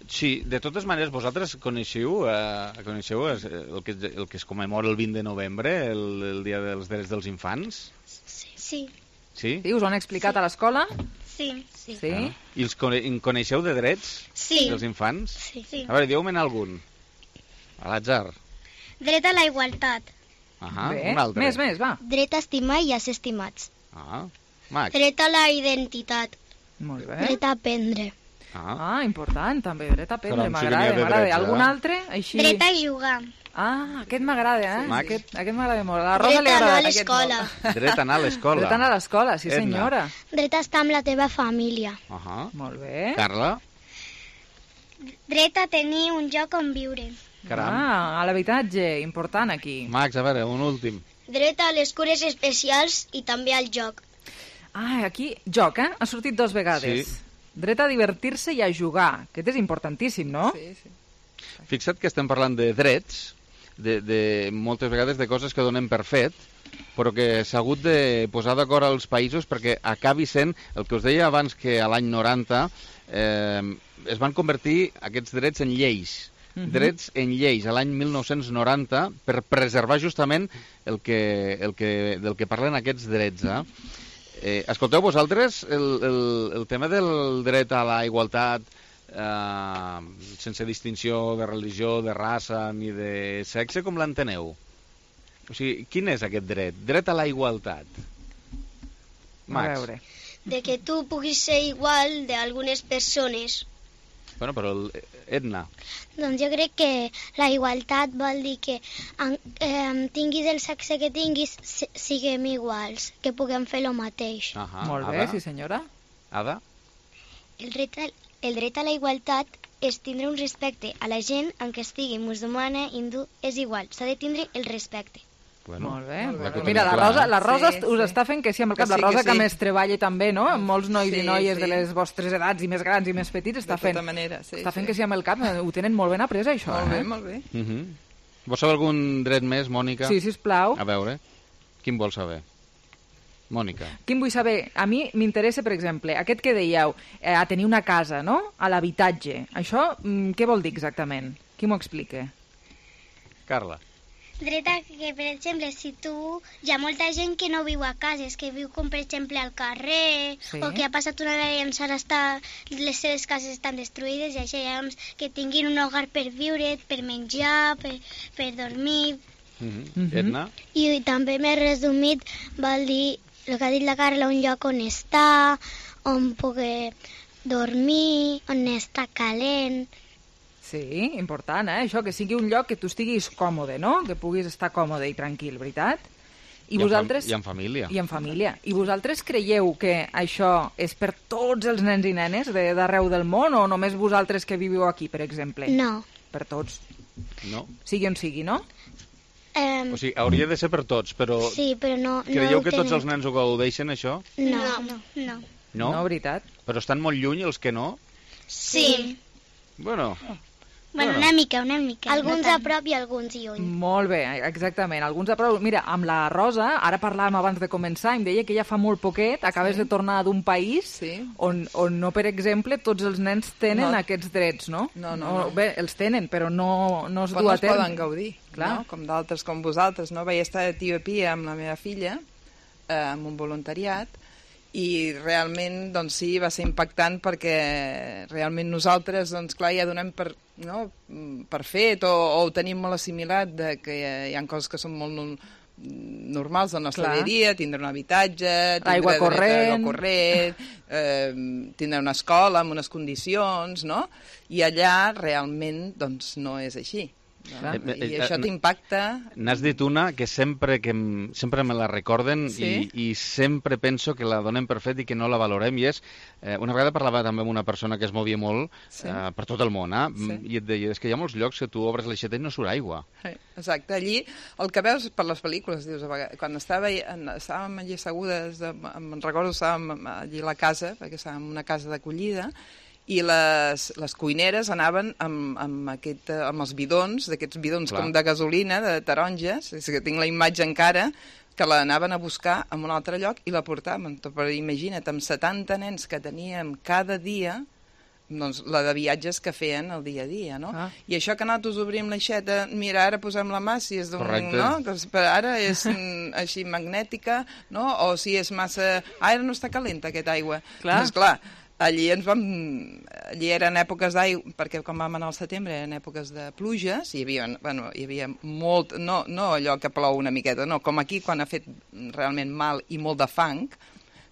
Speaker 7: Sí, de totes maneres, vosaltres coneixeu el que es commemora el 20 de novembre, el Dia dels Drets dels Infants?
Speaker 1: Sí.
Speaker 7: Sí?
Speaker 3: Us ho han explicat a l'escola?
Speaker 1: Sí.
Speaker 7: I els coneixeu de drets dels infants?
Speaker 1: Sí.
Speaker 7: A veure, dieu-me'n algun. A l'atzar.
Speaker 1: Dret a la igualtat.
Speaker 3: Bé,
Speaker 7: un altre.
Speaker 3: Més, va.
Speaker 1: Dret a estimar i a ser estimats.
Speaker 7: Max.
Speaker 1: Dret a la identitat.
Speaker 3: Molt bé.
Speaker 1: Dret a aprendre.
Speaker 3: Important, també. Dret a aprendre, m'agrada. Algun altre? Així...
Speaker 1: Dret a jugar.
Speaker 3: Aquest m'agrada,
Speaker 7: Max.
Speaker 3: Aquest m'agrada molt. A la Rosa li agrada aquest molt.
Speaker 7: Dret a anar a l'escola.
Speaker 3: Dret a anar a l'escola, sí senyora.
Speaker 1: Dret a estar amb la teva família.
Speaker 3: Molt bé.
Speaker 7: Carla?
Speaker 1: Dret a tenir un lloc on viure.
Speaker 3: A l'habitatge, important aquí.
Speaker 7: Max, a veure, un últim.
Speaker 1: Dret a les cures especials i també al joc.
Speaker 3: Aquí, joc, ha sortit 2 vegades.
Speaker 7: Sí.
Speaker 3: Dret a divertir-se i a jugar. Aquest és importantíssim, no?
Speaker 1: Sí.
Speaker 7: Fixa't que estem parlant de drets, de moltes vegades de coses que donem per fet, però que s'ha hagut de posar d'acord als països perquè acabi sent, el que us deia abans, que a l'any 90 es van convertir aquests drets en lleis. Drets en lleis a l'any 1990 per preservar justament del que parlen aquests drets. Escolteu, vosaltres, el tema del dret a la igualtat sense distinció de religió, de raça ni de sexe, com l'enteneu? O sigui, quin és aquest dret? Dret a la igualtat. Max.
Speaker 3: A veure.
Speaker 5: De que tu puguis ser igual d'algunes persones.
Speaker 7: Bueno, però Edna.
Speaker 1: Doncs jo crec que la igualtat vol dir que tinguis el sexe que tinguis, siguem iguals, que puguem fer el mateix.
Speaker 3: Molt bé, sí senyora.
Speaker 7: Ada?
Speaker 5: El dret a la igualtat és tindre un respecte a la gent, encara estigui musulmana, hindú, és igual, s'ha de tindre el respecte.
Speaker 7: Bueno,
Speaker 3: molt bé. Mira, la Rosa us està fent que sí amb el cap. La Rosa que més treballa també, no? Amb molts nois i noies de les vostres edats i més grans i més petits està fent que sí amb el cap. Ho tenen molt ben après, això.
Speaker 8: Molt bé.
Speaker 7: Vols saber algun dret més, Mònica?
Speaker 3: Sí, sisplau.
Speaker 7: A veure, quin vols saber? Mònica.
Speaker 3: Quin vull saber? A mi m'interessa, per exemple, aquest que dèieu, a tenir una casa, no? A l'habitatge. Això, què vol dir exactament? Qui m'ho explica?
Speaker 7: Carla.
Speaker 5: Dret a que, per exemple, si hi ha molta gent que no viu a cases, que viu com, per exemple, al carrer, o que ha passat una vegada i ara les seves cases estan destruïdes, i això, llavors, que tinguin un hogar per viure, per menjar, per dormir.
Speaker 7: Edna?
Speaker 1: I també m'he resumit, vol dir, el que ha dit la Carla, un lloc on estar, on poder dormir, on està calent.
Speaker 3: Sí, important, Això, que sigui un lloc que tu estiguis còmode, no? Que puguis estar còmode i tranquil, veritat? I vosaltres...
Speaker 7: I en família.
Speaker 3: I en família. I vosaltres creieu que això és per tots els nens i nenes d'arreu del món o només vosaltres que viviu aquí, per exemple?
Speaker 1: No.
Speaker 3: Per tots.
Speaker 7: No.
Speaker 3: Sigui on sigui, no?
Speaker 7: O sigui, hauria de ser per tots, però...
Speaker 1: Sí, però no...
Speaker 7: Creieu que tots els nens ho gaudeixen, això?
Speaker 1: No.
Speaker 7: No,
Speaker 3: veritat.
Speaker 7: Però estan molt lluny els que no?
Speaker 5: Sí.
Speaker 7: Bueno,
Speaker 5: una mica.
Speaker 1: Alguns a prop i alguns lluny.
Speaker 3: Molt bé, exactament. Alguns a prop. Mira, amb la Rosa, ara parlàvem abans de començar, em deia que ja fa molt poquet acabes de tornar d'un país on no, per exemple, tots els nens tenen aquests drets, no?
Speaker 8: No.
Speaker 3: Bé, els tenen, però no es du a terme.
Speaker 8: Però no es poden gaudir, no? Com d'altres com vosaltres, no? Vaig estar a Etiòpia amb la meva filla, amb un voluntariat, i realment, doncs sí, va ser impactant perquè realment nosaltres, doncs clar, ja donem per fet o ho tenim molt assimilat de que hi ha coses que són molt normals del nostre dia a dia, tindre un habitatge,
Speaker 3: aigua corrent,
Speaker 8: tindre una escola amb unes condicions, no? I allà realment doncs no és així. I això t'impacta.
Speaker 7: N'has dit una que sempre me la recorden i sempre penso que la donem per fet i que no la valorem, i és, una vegada parlava també amb una persona que es movia molt per tot el món, i et deia, és que hi ha molts llocs que tu obres l'aixeta i no surt aigua.
Speaker 8: Exacte, allí el que veus per les pel·lícules, dius, quan estàvem allí assegudes, me'n recordo, estàvem allí a la casa, perquè estàvem en una casa d'acollida, i les cuineres anaven amb els bidons, d'aquests bidons com de gasolina, de taronges, és que tinc la imatge encara, que l'anaven a buscar en un altre lloc i la portaven. Però imagina't, amb 70 nens que teníem cada dia, doncs la de viatges que feien el dia a dia, no? I això que nosaltres obrim l'aixeta, mira, ara posem la mà, si és d'un... no? Que ara és així magnètica, no? O si és massa... ara no està calenta aquesta aigua. Doncs clar, allí eren èpoques d'aigua, perquè quan vam anar al setembre eren èpoques de pluges, hi havia molt, no allò que plou una miqueta, no, com aquí quan ha fet realment mal i molt de fang,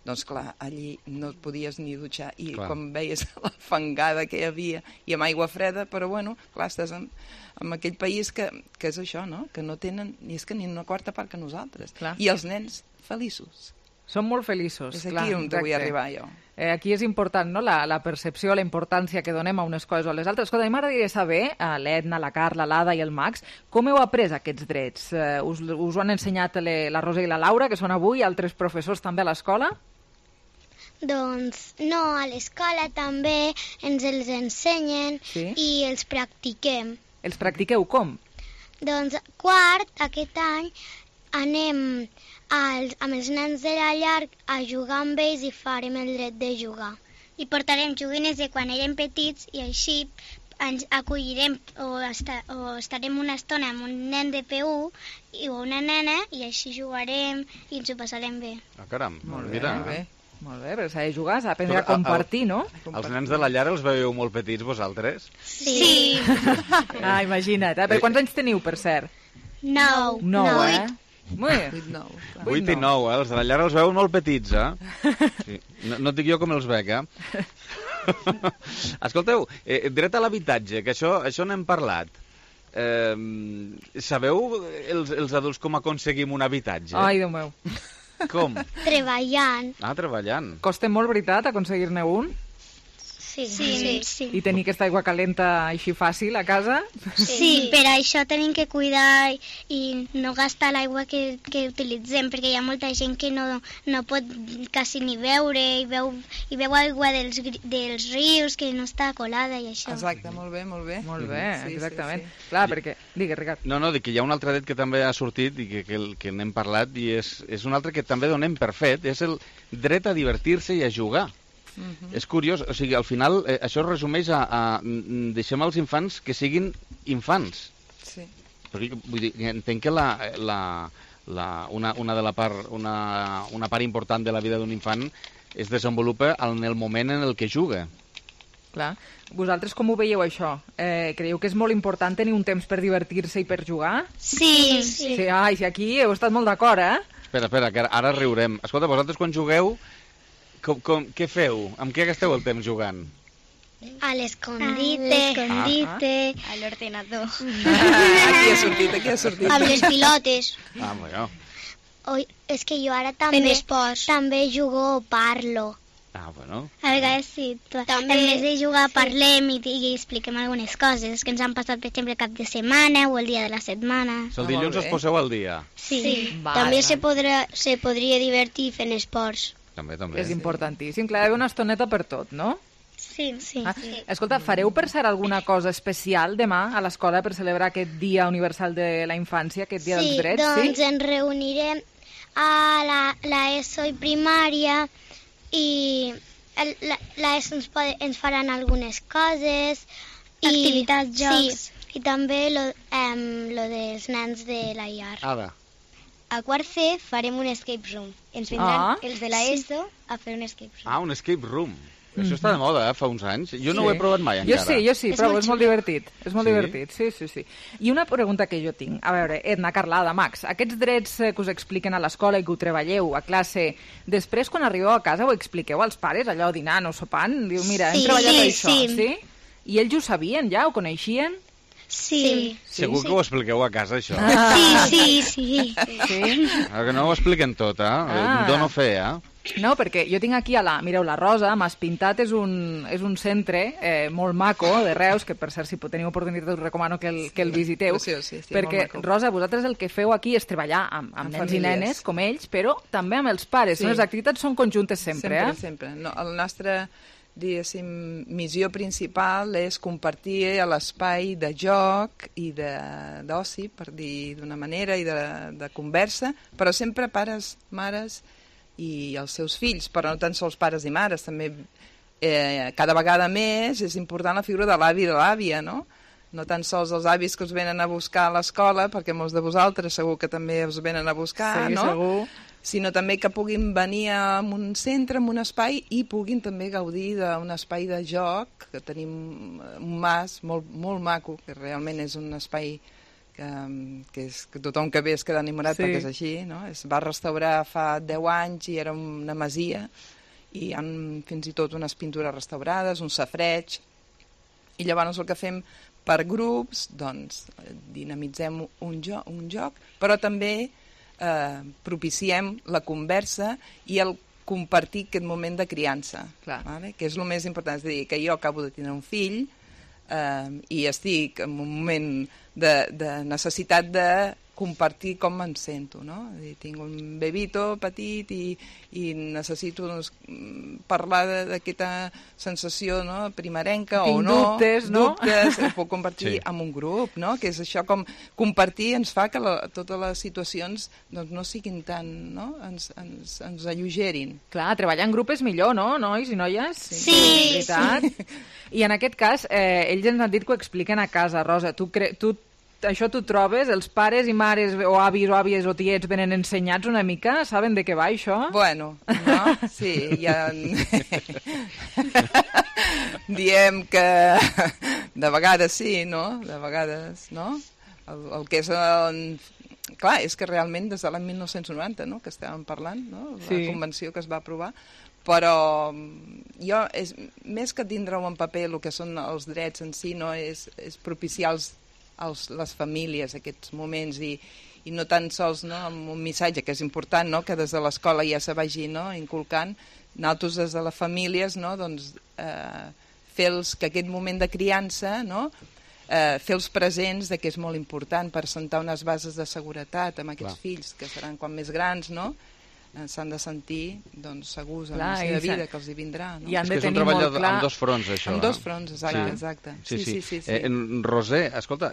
Speaker 8: doncs clar, allí no et podies ni dutxar, i com veies la fangada que hi havia, i amb aigua freda, però bueno, clar, estàs en aquell país que és això, no?, que no tenen ni una quarta part que nosaltres, i els nens feliços.
Speaker 3: Són molt feliços.
Speaker 8: És aquí on vull arribar jo.
Speaker 3: Aquí és important, no?, la percepció, la importància que donem a unes coses o a les altres. Escolta, a mi m'agradaria saber, l'Edna, la Carla, l'Ada i el Max, com heu après aquests drets? Us ho han ensenyat la Rosa i la Laura, que són avui, altres professors també a l'escola?
Speaker 1: Doncs no, a l'escola també ens els ensenyen i els practiquem.
Speaker 3: Els practiqueu com?
Speaker 1: Doncs quart, aquest any, anem amb els nens de la llar a jugar amb ells i farem el dret de jugar. I portarem joguines de quan érem petits i així ens acollirem o estarem una estona amb un nen de P1 o una nena i així jugarem i ens ho passarem bé.
Speaker 7: Caram, mira.
Speaker 3: Molt bé, però s'ha de jugar, s'ha d'aprendre a compartir, no?
Speaker 7: Els nens de la llar els veieu molt petits, vosaltres?
Speaker 5: Sí.
Speaker 3: Imagina't. Per quants anys teniu, per cert?
Speaker 5: 9.
Speaker 3: 9, Molt bé.
Speaker 7: 8 i 9, Els de la llar els veuen molt petits, Sí. No et dic jo com els veig, Escolteu, dret a l'habitatge, que això n'hem parlat. Sabeu els adults com aconseguim un habitatge?
Speaker 3: Ai, Déu meu.
Speaker 7: Com?
Speaker 5: Treballant.
Speaker 7: Treballant.
Speaker 3: Costa molt, veritat, aconseguir-ne un?
Speaker 5: Sí.
Speaker 3: I tenir aquesta aigua calenta així fàcil a casa?
Speaker 5: Sí, per això tenim que cuidar i no gastar l'aigua que utilitzem, perquè hi ha molta gent que no pot quasi ni beure i beu aigua dels rius que no està colada i això.
Speaker 8: Exacte, molt bé.
Speaker 3: Molt bé, exactament. Clar, perquè... Digues, Ricard.
Speaker 7: No, dic que hi ha un altre dret que també ha sortit i que n'hem parlat i és un altre que també donem per fet, és el dret a divertir-se i a jugar. És curiós, o sigui, al final això es resumeix a deixem als infants que siguin infants.
Speaker 8: Sí.
Speaker 7: Perquè, vull dir, entenc que una part important de la vida d'un infant es desenvolupa en el moment en el que juga.
Speaker 3: Clar. Vosaltres com ho veieu, això? Creieu que és molt important tenir un temps per divertir-se i per jugar?
Speaker 5: Sí.
Speaker 3: Ai, si aquí heu estat molt d'acord,
Speaker 7: Espera, que ara riurem. Escolta, vosaltres quan jugueu, què feu? Amb què gasteu el temps jugant?
Speaker 5: A l'escondite.
Speaker 1: A l'ordenador.
Speaker 8: Aquí ha sortit.
Speaker 5: Amb les pilotes.
Speaker 7: Bueno.
Speaker 1: És que jo ara també jugo o parlo.
Speaker 7: Bueno.
Speaker 5: A vegades sí. En vez de jugar parlem i expliquem algunes coses que ens han passat, per exemple, el cap de setmana o el dia de la setmana.
Speaker 7: El dilluns us poseu al dia.
Speaker 5: Sí.
Speaker 1: També se podria divertir fent esports.
Speaker 7: També.
Speaker 3: És importantíssim. Clar, hi ha una estoneta per tot, no?
Speaker 5: Sí.
Speaker 3: Escolta, fareu per ser alguna cosa especial demà a l'escola per celebrar aquest Dia Universal de la Infància, aquest Dia dels Drets?
Speaker 1: Sí, doncs ens reunirem a l'ESO i primària i l'ESO ens faran algunes coses.
Speaker 5: Activitats, jocs.
Speaker 1: Sí, i també lo dels nens de la llar.
Speaker 5: A quart C farem un escape room. Ens vindran els de l'ESO a fer un escape room.
Speaker 7: Un escape room. Això està de moda, fa uns anys. Jo no ho he provat mai encara.
Speaker 3: Jo sí, però és molt divertit. És molt divertit, sí. I una pregunta que jo tinc. A veure, Edna, Carlada, Max, aquests drets que us expliquen a l'escola i que ho treballeu a classe, després quan arribeu a casa ho expliqueu als pares, allò dinant o sopant? Diu, mira, hem treballat això, sí? I ells ho sabien ja, ho coneixien?
Speaker 5: Sí.
Speaker 7: Segur que ho expliqueu a casa, això?
Speaker 5: Sí.
Speaker 7: Que no ho expliquen tot, Dono fe,
Speaker 3: No, perquè jo tinc aquí mireu, la Rosa, Mas Pintat és un centre molt maco de Reus, que per cert, si teniu oportunitat us recomano que el visiteu, perquè, Rosa, vosaltres el que feu aquí és treballar amb nens i nenes, com ells, però també amb els pares. Les activitats són conjuntes sempre,
Speaker 8: Sempre. No, el nostre, diguéssim, missió principal és compartir l'espai de joc i d'oci, per dir d'una manera, i de conversa, però sempre pares, mares i els seus fills, però no tan sols pares i mares, també cada vegada més és important la figura de l'avi i de l'àvia, no? No tan sols els avis que us venen a buscar a l'escola, perquè molts de vosaltres segur que també us venen a buscar, no?
Speaker 3: Segur.
Speaker 8: Sinó també que puguin venir a un centre, a un espai, i puguin també gaudir d'un espai de joc, que tenim un mas molt, molt maco, que realment és un espai que tothom que ve es queda enamorat perquè és així, no? Es va restaurar fa 10 anys i era una masia i hi ha fins i tot unes pintures restaurades, un safareig, i llavors el que fem per grups, doncs dinamitzem un joc, però també propiciem la conversa i el compartir aquest moment de criança, vale? Que és el més important, és a dir, que jo acabo de tenir un fill i estic en un moment de necessitat de compartir com em sento, no? Tinc un bebito petit i necessito parlar d'aquesta sensació, no? Primerenca o no.
Speaker 3: Tinc dubtes,
Speaker 8: ho puc compartir amb un grup, no? Que és això, com compartir ens fa que totes les situacions doncs, no siguin tan, no? Ens alleugerin.
Speaker 3: Clar, treballar en grup és millor, no, nois i noies?
Speaker 5: Sí.
Speaker 3: I en aquest cas, ells ens han dit que ho expliquen a casa. Rosa, tu això tu trobes? Els pares i mares o avis o àvies o tiets venen ensenyats una mica? Saben de què va això?
Speaker 8: Bueno, no? Sí, ja... Diem que de vegades sí, no? De vegades, no? El que és... Clar, és que realment des de l'any 1990, no?, que estàvem parlant, no?, la convenció que es va aprovar, però jo, més que tindre-ho en paper, el que són els drets en si, no?, és propiciar les famílies aquests moments i no tan sols, no?, amb un missatge que és important, no?, que des de l'escola ja se vagi, no?, inculcant, nosaltres des de les famílies, no?, doncs fer-los que aquest moment de criança, no?, fer-los presents de que és molt important per assentar unes bases de seguretat amb aquests fills que seran quan més grans, no? S'han de sentir doncs, segurs en la seva vida, que els hi vindrà. No?
Speaker 3: I han de
Speaker 7: és un treball amb dos fronts, això.
Speaker 8: Amb dos fronts, exacte. Sí.
Speaker 7: Roser, escolta,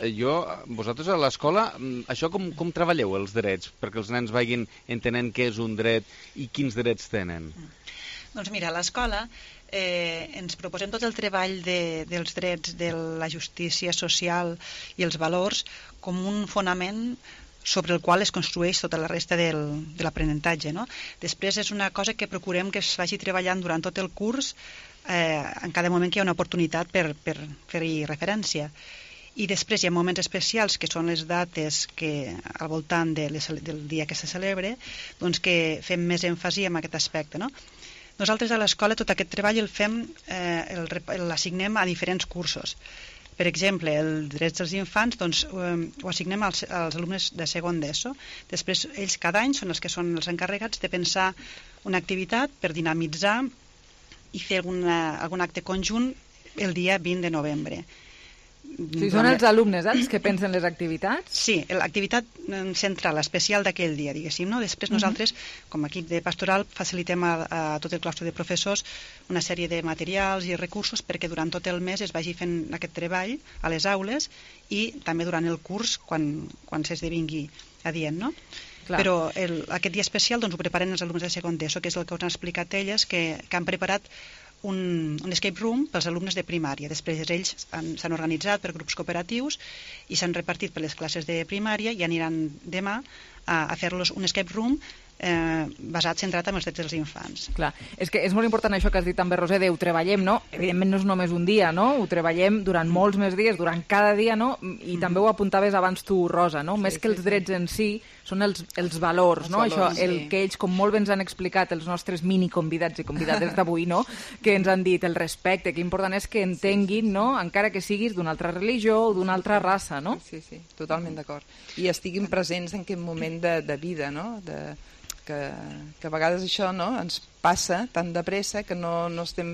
Speaker 7: vosaltres a l'escola, això com treballeu els drets? Perquè els nens vagin entenent què és un dret i quins drets tenen.
Speaker 16: Doncs mira, a l'escola ens proposem tot el treball dels drets, de la justícia social i els valors com un fonament sobre el qual es construeix tota la resta de l'aprenentatge. No? Després és una cosa que procurem que es vagi treballant durant tot el curs en cada moment que hi ha una oportunitat per fer-hi referència. I després hi ha moments especials, que són les dates que al voltant del dia que se celebre, doncs que fem més èmfasi en aquest aspecte, no? Nosaltres a l'escola tot aquest treball el fem, l'assignem a diferents cursos. Per exemple, els drets dels infants doncs, ho assignem als alumnes de segon d'ESO. Després, ells cada any són els que són els encarregats de pensar una activitat per dinamitzar i fer algun acte conjunt el dia 20 de novembre.
Speaker 3: Sí, són els alumnes els que pensen les activitats?
Speaker 16: Sí, l'activitat central, especial d'aquell dia, diguéssim. No? Després nosaltres, com a equip de pastoral, facilitem a tot el claustre de professors una sèrie de materials i recursos perquè durant tot el mes es vagi fent aquest treball a les aules i també durant el curs quan s'esdevingui adient, no? Clar. Però aquest dia especial doncs, ho preparen els alumnes de segon d'ESO, que és el que us han explicat elles, que han preparat un escape room pels alumnes de primària. Després ells s'han organitzat per grups cooperatius i s'han repartit per les classes de primària i aniran demà a fer-los un escape room centrat en els drets dels infants.
Speaker 3: Clar, és que és molt important això que has dit també, Roser, ho treballem, no? Evidentment no és només un dia, no? Ho treballem durant molts més dies, durant cada dia, no? I també ho apuntaves abans tu, Rosa, no? Més que els drets en si, són els valors, no? Això, el que ells, com molt bé ens han explicat els nostres mini convidats i convidades d'avui, no? Que ens han dit el respecte, que important és que entenguin, no? Encara que siguis d'una altra religió o d'una altra raça, no?
Speaker 8: Sí, totalment d'acord. I estiguin presents en aquest moment de vida, no? Que a vegades això no, ens passa tan de pressa que no estem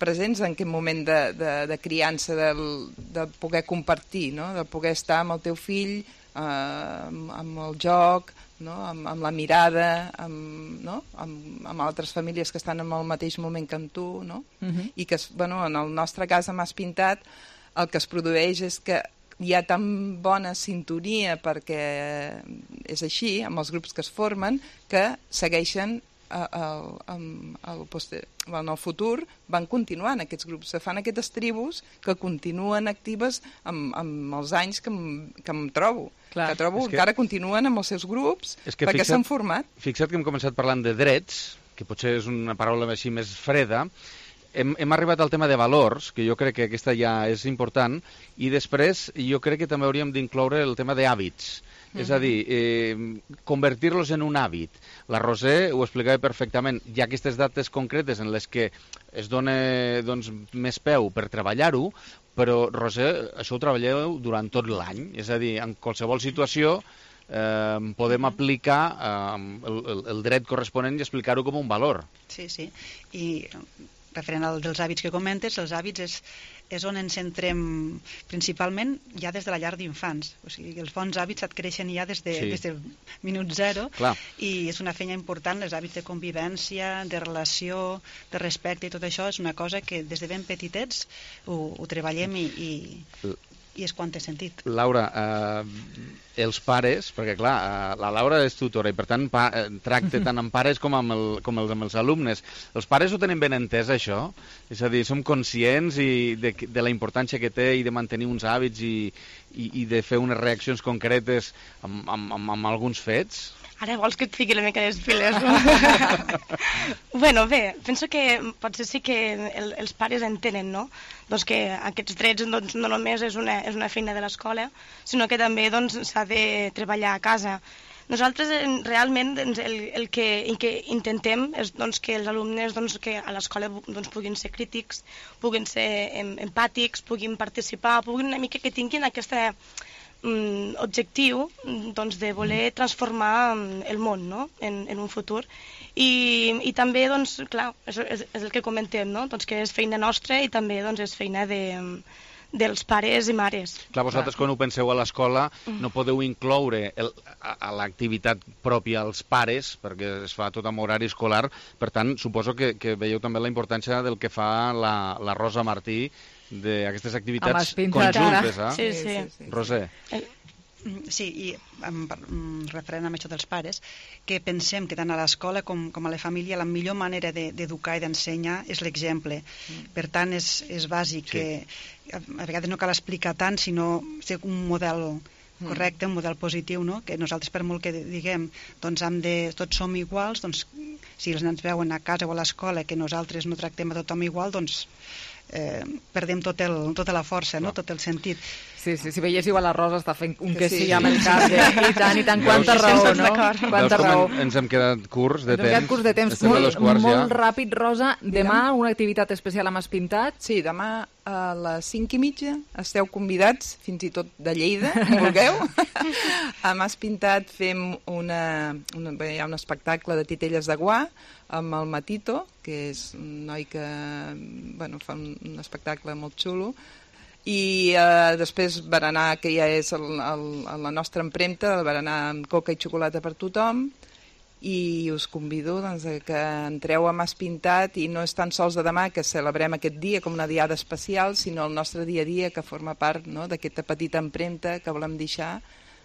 Speaker 8: presents en aquest moment de criança, de poder compartir, no? De poder estar amb el teu fill, amb el joc, no? Amb la mirada, amb altres famílies que estan en el mateix moment que amb tu, no? I que, bueno, en el nostre cas, a Mas Pintat, el que es produeix és que hi ha tan bona sintonia perquè és així, amb els grups que es formen, que segueixen en el futur, van continuant aquests grups, se fan aquestes tribus que continuen actives amb els anys que em trobo. Clar. Que trobo que encara continuen amb els seus grups perquè s'han format.
Speaker 7: Fixa't que hem començat parlant de drets, que potser és una paraula així més freda. Hem arribat al tema de valors, que jo crec que aquesta ja és important, i després jo crec que també hauríem d'incloure el tema d'hàbits. És a dir, convertir-los en un hàbit. La Roser ho explicava perfectament. Hi ha aquestes dates concretes en les que es dona doncs, més peu per treballar-ho, però, Roser, això ho treballeu durant tot l'any. És a dir, en qualsevol situació podem aplicar el dret corresponent i explicar-ho com un valor.
Speaker 16: Sí. I referent als dels hàbits que comentes, els hàbits és on ens centrem principalment ja des de la llar d'infants. O sigui, els bons hàbits adquireixen ja des del minut zero. Clar. I és una feina important, els hàbits de convivència, de relació, de respecte i tot això és una cosa que des de ben petitets ho treballem i i és quan té sentit.
Speaker 7: Laura, els pares, perquè clar, la Laura és tutora i per tant tracta tant amb pares com amb els alumnes. Els pares ho tenen ben entès, això? És a dir, som conscients de la importància que té i de mantenir uns hàbits i de fer unes reaccions concretes amb alguns fets?
Speaker 2: Ara vols que et fiqui una mica les piles, no? Bueno, bé, penso que potser sí que els pares entenen, no? Doncs que aquests drets no només és una feina de l'escola, sinó que també s'ha de treballar a casa. Nosaltres realment el que intentem és que els alumnes que a l'escola puguin ser crítics, puguin ser empàtics, puguin participar, puguin una mica que tinguin aquesta objectiu de voler transformar el món, no? en un futur. I també, clar, és el que comentem, no? Que és feina nostra i també és feina dels pares i mares.
Speaker 7: Clar, vosaltres quan ho penseu a l'escola no podeu incloure a l'activitat pròpia als pares, perquè es fa tot amb horari escolar, per tant, suposo que veieu també la importància del que fa la Rosa Martí d'aquestes activitats conjuntes, eh?
Speaker 2: Sí.
Speaker 7: Roser.
Speaker 16: Sí, i referent amb això dels pares, que pensem que tant a l'escola com a la família la millor manera d'educar i d'ensenyar és l'exemple. Per tant, és bàsic que a vegades no cal explicar tant, sinó ser un model correcte, un model positiu, no? Que nosaltres, per molt que diguem, tots som iguals, si els nens veuen a casa o a l'escola que nosaltres no tractem a tothom igual, perdem tota la força, no? Tot el sentit.
Speaker 3: Sí, si veiéssiu a la Rosa està fent un que sí amb el cap. I tant, quanta raó, no? Quanta raó.
Speaker 7: Ens hem quedat curts de temps.
Speaker 3: Ens hem quedat curts de temps. Molt ràpid, Rosa. Demà una activitat especial amb Mas Pintat.
Speaker 8: Sí, demà a les 5:30 esteu convidats, fins i tot de Lleida, si vulgueu. A Mas Pintat fem hi ha un espectacle de titelles de guà amb el Matito, que és un noi que fa un espectacle molt xulo, i després berenar, que ja és la nostra empremta, el berenar amb coca i xocolata per tothom, i us convido que entreu a Mas Pintat, i no és tan sols de demà que celebrem aquest dia com una diada especial, sinó el nostre dia a dia, que forma part d'aquesta petita empremta que volem deixar,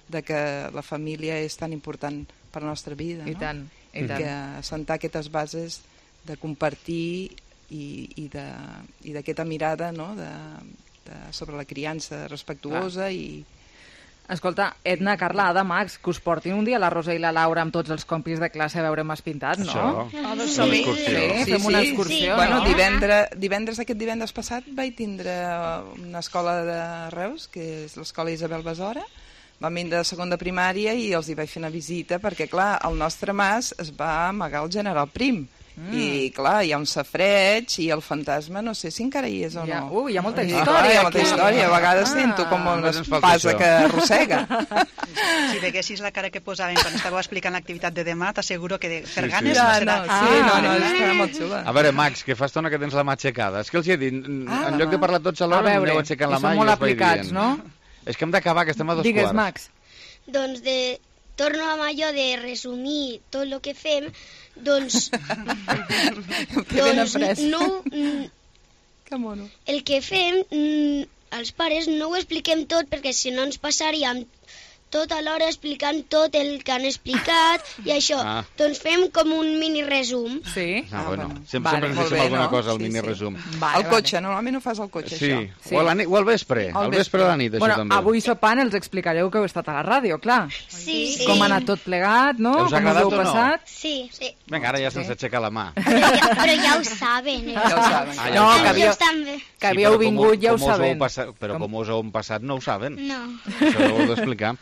Speaker 8: de que la família és tan important per la nostra vida.
Speaker 3: I tant.
Speaker 8: I que assentar aquestes bases de compartir i d'aquesta mirada sobre la criança respectuosa i...
Speaker 3: Escolta, Edna, Carla, Ada, Max, que us portin un dia la Rosa i la Laura amb tots els compis de classe a veure Mas Pintat, no?
Speaker 8: Sí,
Speaker 3: fem una excursió, no?
Speaker 8: Bueno, aquest divendres passat vaig tindre una escola de Reus, que és l'escola Isabel Besora. Vam vindre de segon de primària i els hi vaig fer una visita perquè, clar, el nostre mas es va amagar al General Prim. I, clar, hi ha un safareig i el fantasma, no sé si encara hi és o no.
Speaker 3: Hi ha molta història.
Speaker 8: Hi ha molta història. A vegades sento com una espasa que arrossega.
Speaker 16: Si veguessis la cara que posaven quan estàveu explicant l'activitat de demà, t'asseguro que per ganes
Speaker 8: no
Speaker 16: serà.
Speaker 8: és molt xula.
Speaker 7: A veure, Max, que fa estona que tens la mà aixecada. És que els he dit, en lloc de parlar tots alhora, aneu aixecant la mà i
Speaker 3: són molt
Speaker 7: us vaig
Speaker 3: aplicats,
Speaker 7: dient.
Speaker 3: no?
Speaker 7: És que hem d'acabar, que estem a 2 quarts.
Speaker 3: Digues, Max.
Speaker 5: Doncs torno amb allò de resumir tot el que fem, el que fem, els pares no ho expliquem tot perquè si no ens passaríem tota l'hora explicant tot el que han explicat i això. Doncs fem com un mini resum.
Speaker 3: Sí?
Speaker 7: Bueno. Sempre ens deixem alguna cosa al mini resum.
Speaker 8: Al cotxe, normalment ho fas al cotxe, això.
Speaker 7: Sí, o al vespre, al vespre de la nit, això també.
Speaker 3: Bueno, avui sopant els explicareu que heu estat a la ràdio, clar.
Speaker 5: Sí.
Speaker 3: Com ha anat tot plegat, no?
Speaker 7: Us ha agradat o no?
Speaker 5: Sí.
Speaker 7: Vinga, ara ja se'ns aixeca la mà.
Speaker 5: Però ja ho saben.
Speaker 3: No, que havíeu vingut, ja ho saben.
Speaker 7: Però com us heu passat no ho saben.
Speaker 5: No.
Speaker 7: Això ho heu d'explicar.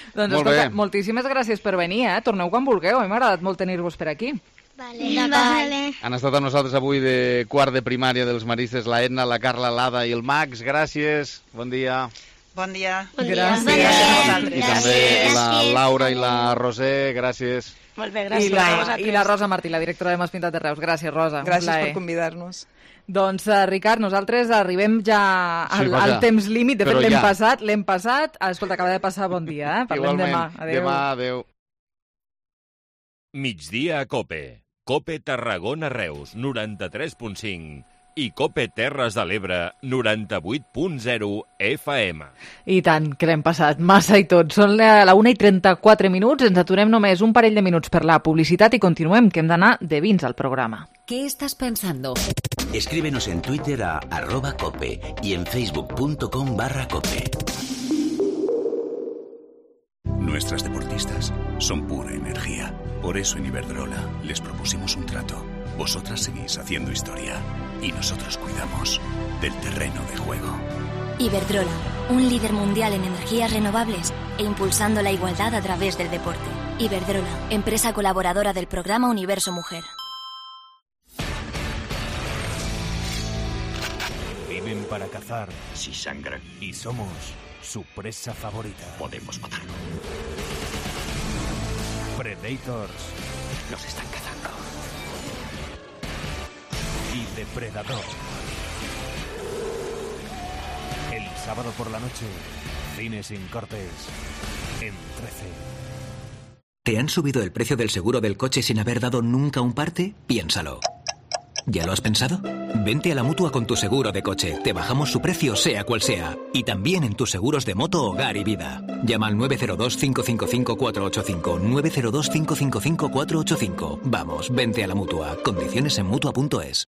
Speaker 3: Doncs escolta, moltíssimes gràcies per venir, Torneu quan vulgueu, a mi m'ha agradat molt tenir-vos per aquí.
Speaker 5: Vale.
Speaker 7: Han estat amb nosaltres avui de quart de primària dels maristes, la Edna, la Carla, l'Ada i el Max. Gràcies, bon dia.
Speaker 16: Bon dia.
Speaker 3: Gràcies.
Speaker 7: I també la Laura i la Roser, gràcies.
Speaker 2: Molt bé, gràcies.
Speaker 3: I la Rosa Martí, la directora de Mas Pintat de Reus. Gràcies, Rosa.
Speaker 8: Gràcies per convidar-nos.
Speaker 3: Doncs, Ricard, nosaltres arribem ja al temps límit. De fet, l'hem passat. Escolta, acaba de passar bon dia. Parlem demà.
Speaker 7: Adéu.
Speaker 18: Migdia a COPE. COPE Tarragona Reus, 93.5. i Cope Terres de l'Ebre 98.0 FM.
Speaker 3: I tant, que l'hem passat massa i tot. Són la 1:34 minuts, ens aturem només un parell de minuts per la publicitat i continuem, que hem d'anar de vins al programa.
Speaker 19: ¿Qué estás pensando?
Speaker 27: Escríbenos en Twitter a @cope y en facebook.com/cope.
Speaker 17: Nuestras deportistas son pura energía. Por eso en Iberdrola les propusimos un trato. Vosotras seguís haciendo historia y nosotros cuidamos del terreno de juego.
Speaker 20: Iberdrola, un líder mundial en energías renovables e impulsando la igualdad a través del deporte. Iberdrola, empresa colaboradora del programa Universo Mujer.
Speaker 21: Viven para cazar.
Speaker 22: Si sangran.
Speaker 21: Y somos su presa favorita.
Speaker 22: Podemos matarlo.
Speaker 21: Predators.
Speaker 22: Nos están cazando.
Speaker 21: Y Depredador. El sábado por la noche, Cine sin cortes, en 13.
Speaker 23: ¿Te han subido el precio del seguro del coche sin haber dado nunca un parte? Piénsalo. ¿Ya lo has pensado? Vente a la Mutua con tu seguro de coche. Te bajamos su precio, sea cual sea. Y también en tus seguros de moto, hogar y vida. Llama al 902-555-485. 902-555-485. Vamos, vente a la Mutua. Condiciones en Mutua.es.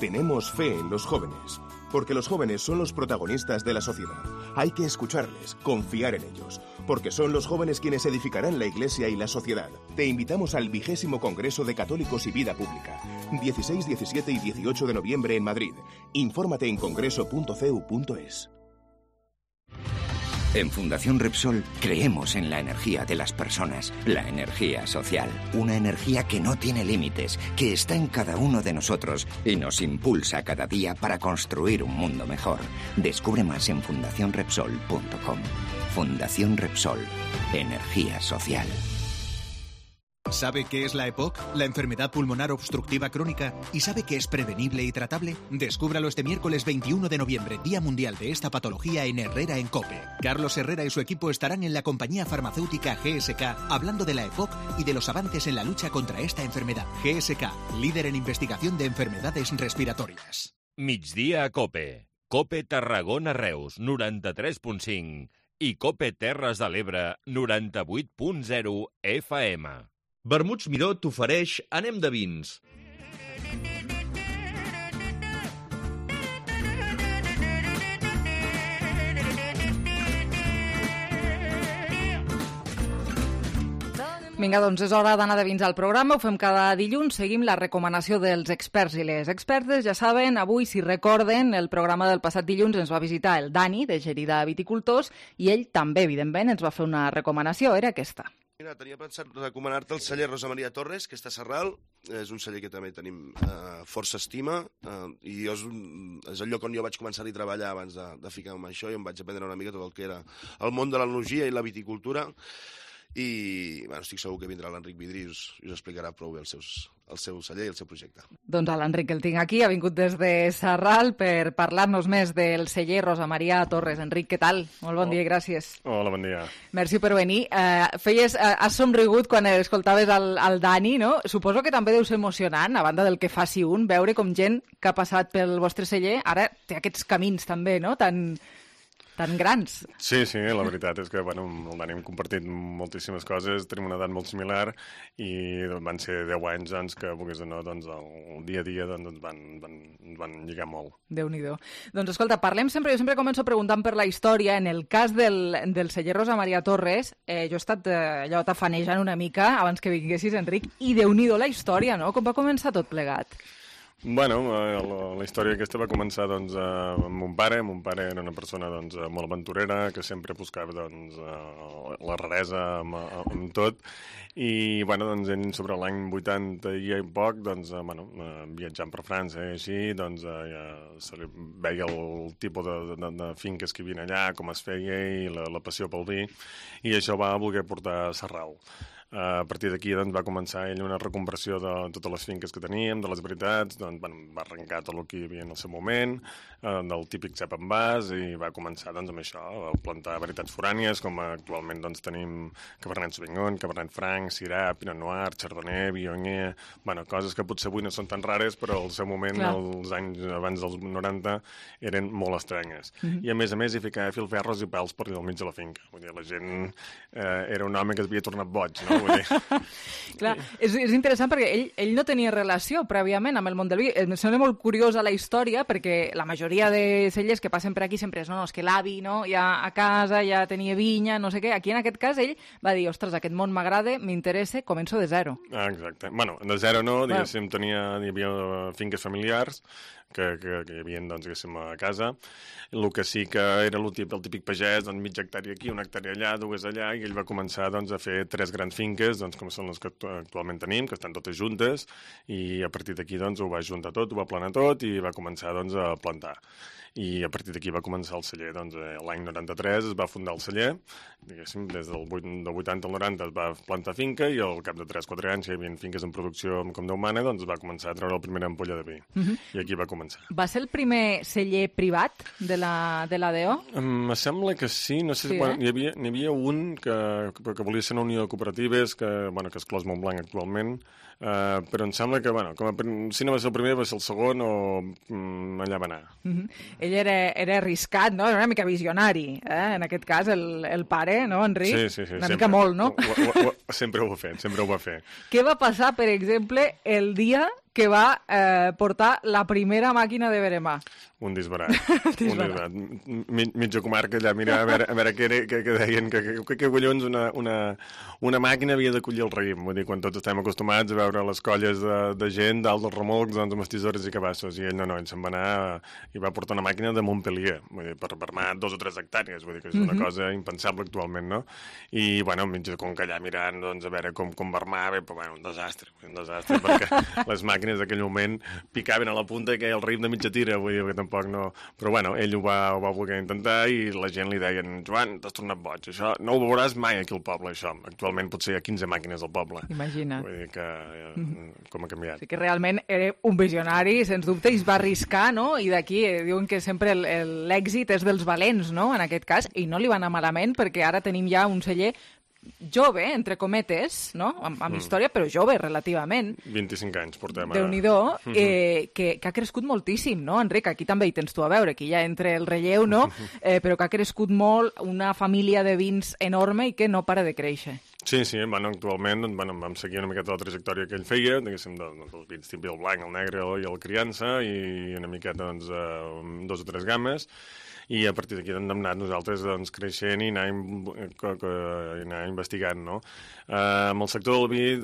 Speaker 24: Tenemos fe en los jóvenes, porque los jóvenes son los protagonistas de la sociedad. Hay que escucharles, confiar en ellos, porque son los jóvenes quienes edificarán la Iglesia y la sociedad. Te invitamos al 20º Congreso de Católicos y Vida Pública, 16, 17 y 18 de noviembre en Madrid. Infórmate en congreso.cu.es.
Speaker 25: En Fundación Repsol creemos en la energía de las personas, la energía social, una energía que no tiene límites, que está en cada uno de nosotros y nos impulsa cada día para construir un mundo mejor. Descubre más en fundacionrepsol.com. Fundación Repsol, energía social.
Speaker 26: ¿Sabe qué es la EPOC, la enfermedad pulmonar obstructiva crónica? ¿Y sabe que es prevenible y tratable? Descúbralo este miércoles 21 de noviembre, Día Mundial de esta patología en Herrera en COPE. Carlos Herrera y su equipo estarán en la compañía farmacéutica GSK hablando de la EPOC y de los avances en la lucha contra esta enfermedad. GSK, líder en investigación de enfermedades respiratorias.
Speaker 18: Migdia a Cope. Cope Tarragona Reus 93.5 i Cope Terres de l'Ebre 98.0 FM.
Speaker 29: Vermuts Miró t'ofereix Anem de vins.
Speaker 3: Vinga, doncs és hora d'anar de vins al programa. Ho fem cada dilluns. Seguim la recomanació dels experts i les expertes. Ja saben, avui, si recorden, el programa del passat dilluns ens va visitar el Dani, de Gerida Viticultors, i ell també, evidentment, ens va fer una recomanació. Era aquesta.
Speaker 31: Mira, tenia pensat recomanar-te el celler Rosa Maria Torres, que està a Sarral. És un celler que també tenim força estima i és el lloc on jo vaig començar a treballar abans de ficar-me en això i em vaig aprendre una mica tot el que era el món de l'enologia i la viticultura. I bueno, estic segur que vindrà l'Enric Vidrí i us explicarà prou bé el seu celler i el seu projecte.
Speaker 3: Doncs l'Enric el tinc aquí, ha vingut des de Sarral per parlar-nos més del celler Rosa Maria Torres. Enric, què tal? Molt bon dia i gràcies.
Speaker 32: Hola, bon dia.
Speaker 3: Merci per venir. Has somrigut quan escoltaves el Dani, no? Suposo que també deu ser emocionant, a banda del que faci un, veure com gent que ha passat pel vostre celler ara té aquests camins també, no?, tan grans.
Speaker 32: Sí, la veritat és que el Dani hem compartit moltíssimes coses, tenim una edat molt similar i van ser 10 anys doncs, que, vulguis o no, doncs, el dia a dia doncs, van lligar molt.
Speaker 3: Déu-n'hi-do. Doncs escolta, jo sempre començo preguntant per la història. En el cas del celler Rosa Maria Torres, jo he estat allò tafanejant una mica abans que vinguessis, Enric, i Déu-n'hi-do la història, no? Com va començar tot plegat?
Speaker 32: Bueno, la història aquesta va començar doncs, amb mon pare. Mon pare era una persona doncs, molt aventurera, que sempre buscava doncs, la raresa amb tot. I doncs, ell sobre l'any 80 i poc, doncs, viatjant per França i així, doncs, se li veia el tipus de finques que hi havia allà, com es feia i la passió pel vi, i això va voler portar a Sarral. A partir d'aquí doncs, va començar ell una reconversió de totes les finques que teníem, de les varietats, doncs, va arrencar tot el que hi havia en el seu moment, del típic cep en vas, i va començar doncs, amb això, a plantar varietats forànies, com actualment doncs, tenim Cabernet Sauvignon, Cabernet Franc, Syrah, Pinot Noir, Chardonnay, Viognier, coses que potser avui no són tan rares, però al seu moment, els anys abans dels 90, eren molt estranyes. I a més hi ficava filferros i pèls per al mig de la finca. Vull dir, la gent era un home que es havia tornat boig, no?
Speaker 3: Clar, és interessant perquè ell no tenia relació prèviament amb el món del vi. Em sembla molt curiosa la història perquè la majoria de cellers que passen per aquí sempre és, és que l'avi ja a casa ja tenia vinya, no sé què. Aquí en aquest cas ell va dir, ostres, aquest món m'agrada, m'interessa, començo de zero.
Speaker 32: Exacte. De zero no, diguéssim, hi havia finques familiars que hi havia, doncs, diguéssim, a casa. El que sí que era el típic pagès, doncs, mitja hectàrea aquí, una hectàrea allà, dues allà, i ell va començar doncs, a fer 3 grans finques, doncs, com són les que actualment tenim, que estan totes juntes, i a partir d'aquí doncs, ho va juntar tot, ho va planar tot, i va començar doncs, a plantar. I a partir d'aquí va començar el celler. Doncs, l'any 93 es va fundar el celler, diguéssim, des del 80 al 90 es va plantar finca, i al cap de 3-4 anys, hi havia finques en producció com Déu mana, doncs va començar a treure la primera ampolla de vi. I aquí va començar.
Speaker 3: Va ser el primer celler privat de l'ADO?
Speaker 32: Em sembla que sí, no sé, n'hi havia un que volia ser una unió de cooperatives, que és Clos Montblanc actualment, però em sembla que, si no va ser el primer, va ser el segon, o allà va anar.
Speaker 3: Ell era arriscat, no? Era una mica visionari, en aquest cas, el pare, no, Enric?
Speaker 32: Sí.
Speaker 3: Una mica molt, no?
Speaker 32: Sempre ho va fer.
Speaker 3: Què va passar, per exemple, el dia que va portar la primera màquina de veremar?
Speaker 32: Un disbarat. Mitja comarca allà, mira, a veure què deien, que collons una màquina havia de collir el raïm. Vull dir, quan tots estem acostumats a veure les colles de gent dalt dels remolcs, doncs, amb els tisores i cabassos, i ell no, ell se'n va anar i va portar una màquina de Montpellier, vull dir, per vermar 2 o 3 hectàrees, vull dir que és una cosa impensable actualment, no? I, mitja conca allà mirant, doncs, a veure com vermava, però, un desastre, perquè les màquines d'aquell moment picaven a la punta i queia el raïm de mitja tira, vull dir que tampoc no... Però, ell ho va voler intentar i la gent li deien, Joan, t'has tornat boig, això no ho veuràs mai aquí al poble, això. Actualment potser hi ha 15 màquines al poble.
Speaker 3: Imagina't.
Speaker 32: Vull dir que com ha canviat.
Speaker 3: Sí que realment era un visionari, sens dubte, i es va arriscar, no? I d'aquí diuen que sempre l'èxit és dels valents, no? En aquest cas, i no li va anar malament perquè ara tenim ja un celler jove, entre cometes, no? Amb història, però jove, relativament.
Speaker 32: 25 anys portem.
Speaker 3: Déu-n'hi-do, que ha crescut moltíssim, no, Enric? Aquí també hi tens tu a veure, aquí ja entre el relleu, no? Però que ha crescut molt, una família de vins enorme i que no para de créixer.
Speaker 32: Sí, actualment vam seguir una miqueta la trajectòria que ell feia, diguéssim, dels vins típics, el blanc, el negre i el criança, i una miqueta, 2 o 3 gammes, i a partir d'aquí hem anat nosaltres creixent i anar investigant, no? Amb el sector del vi,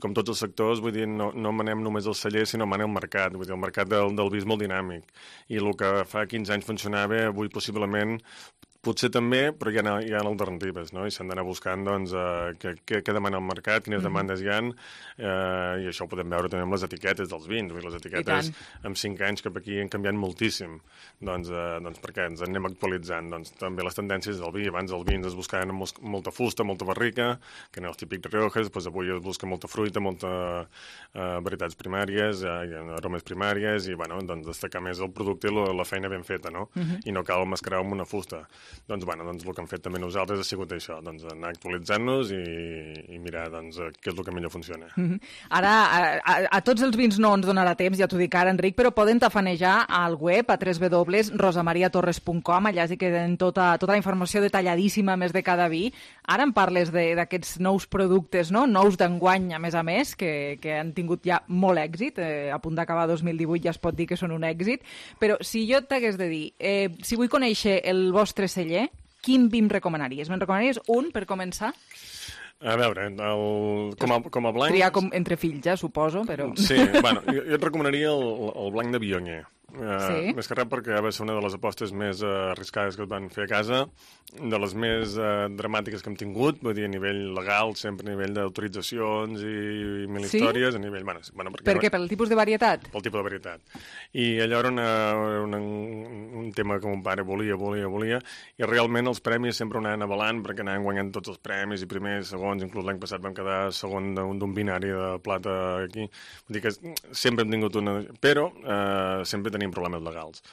Speaker 32: com tots els sectors, vull dir, no manem només el celler, sinó manem el mercat. Vull dir, el mercat del vi és molt dinàmic, i el que fa 15 anys funcionava, avui possiblement potser també, però hi ha alternatives, no? I s'han d'anar buscant, doncs, què demana el mercat, quines demandes hi ha, i això ho podem veure també amb les etiquetes dels vins. Les etiquetes, amb 5 anys cap aquí, han canviat moltíssim, doncs perquè ens anem actualitzant. Doncs també les tendències del vi. Abans els vins es buscaven amb molta fusta, molta barrica, que eren els típics riojes, doncs avui es busca molta fruita, molta varietats primàries, aromes primàries, i, doncs, destacar més el producte i la feina ben feta, no? I no cal mascarar amb una fusta. Doncs el que hem fet també nosaltres ha sigut això, anar actualitzant-nos i mirar què és el que millor funciona.
Speaker 3: Ara, a tots els vins no ens donarà temps, ja t'ho dic ara, Enric, però poden tafanejar al web a www.rosamariatorres.com, allà sí que tenen tota la informació detalladíssima més de cada vi. Ara em parles d'aquests nous productes, no? Nous d'enguany, a més, que han tingut ja molt èxit, a punt d'acabar 2018 ja es pot dir que són un èxit, però si jo t'hagués de dir, si vull conèixer el vostre celler, quin vi em recomanaries? Me'n recomanaries un, per començar?
Speaker 32: A veure, com a blanc...
Speaker 3: Triar entre fills, suposo, però...
Speaker 32: Sí, jo et recomanaria el blanc de Viognier.
Speaker 3: Sí.
Speaker 32: Més que res perquè va ser una de les apostes més arriscades que es van fer a casa, de les més dramàtiques que hem tingut, vull dir, a nivell legal, sempre a nivell d'autoritzacions i mil històries, a nivell... Bueno,
Speaker 3: per què? Pel tipus de varietat?
Speaker 32: Pel tipus de varietat. I allò era un tema que mon pare volia, i realment els premis sempre anaven avalant, perquè anaven guanyant tots els premis, i primers, segons, inclús l'any passat vam quedar segon d'un binari de plata aquí. Vull dir que sempre hem tingut una... Però sempre tenim problemes legals.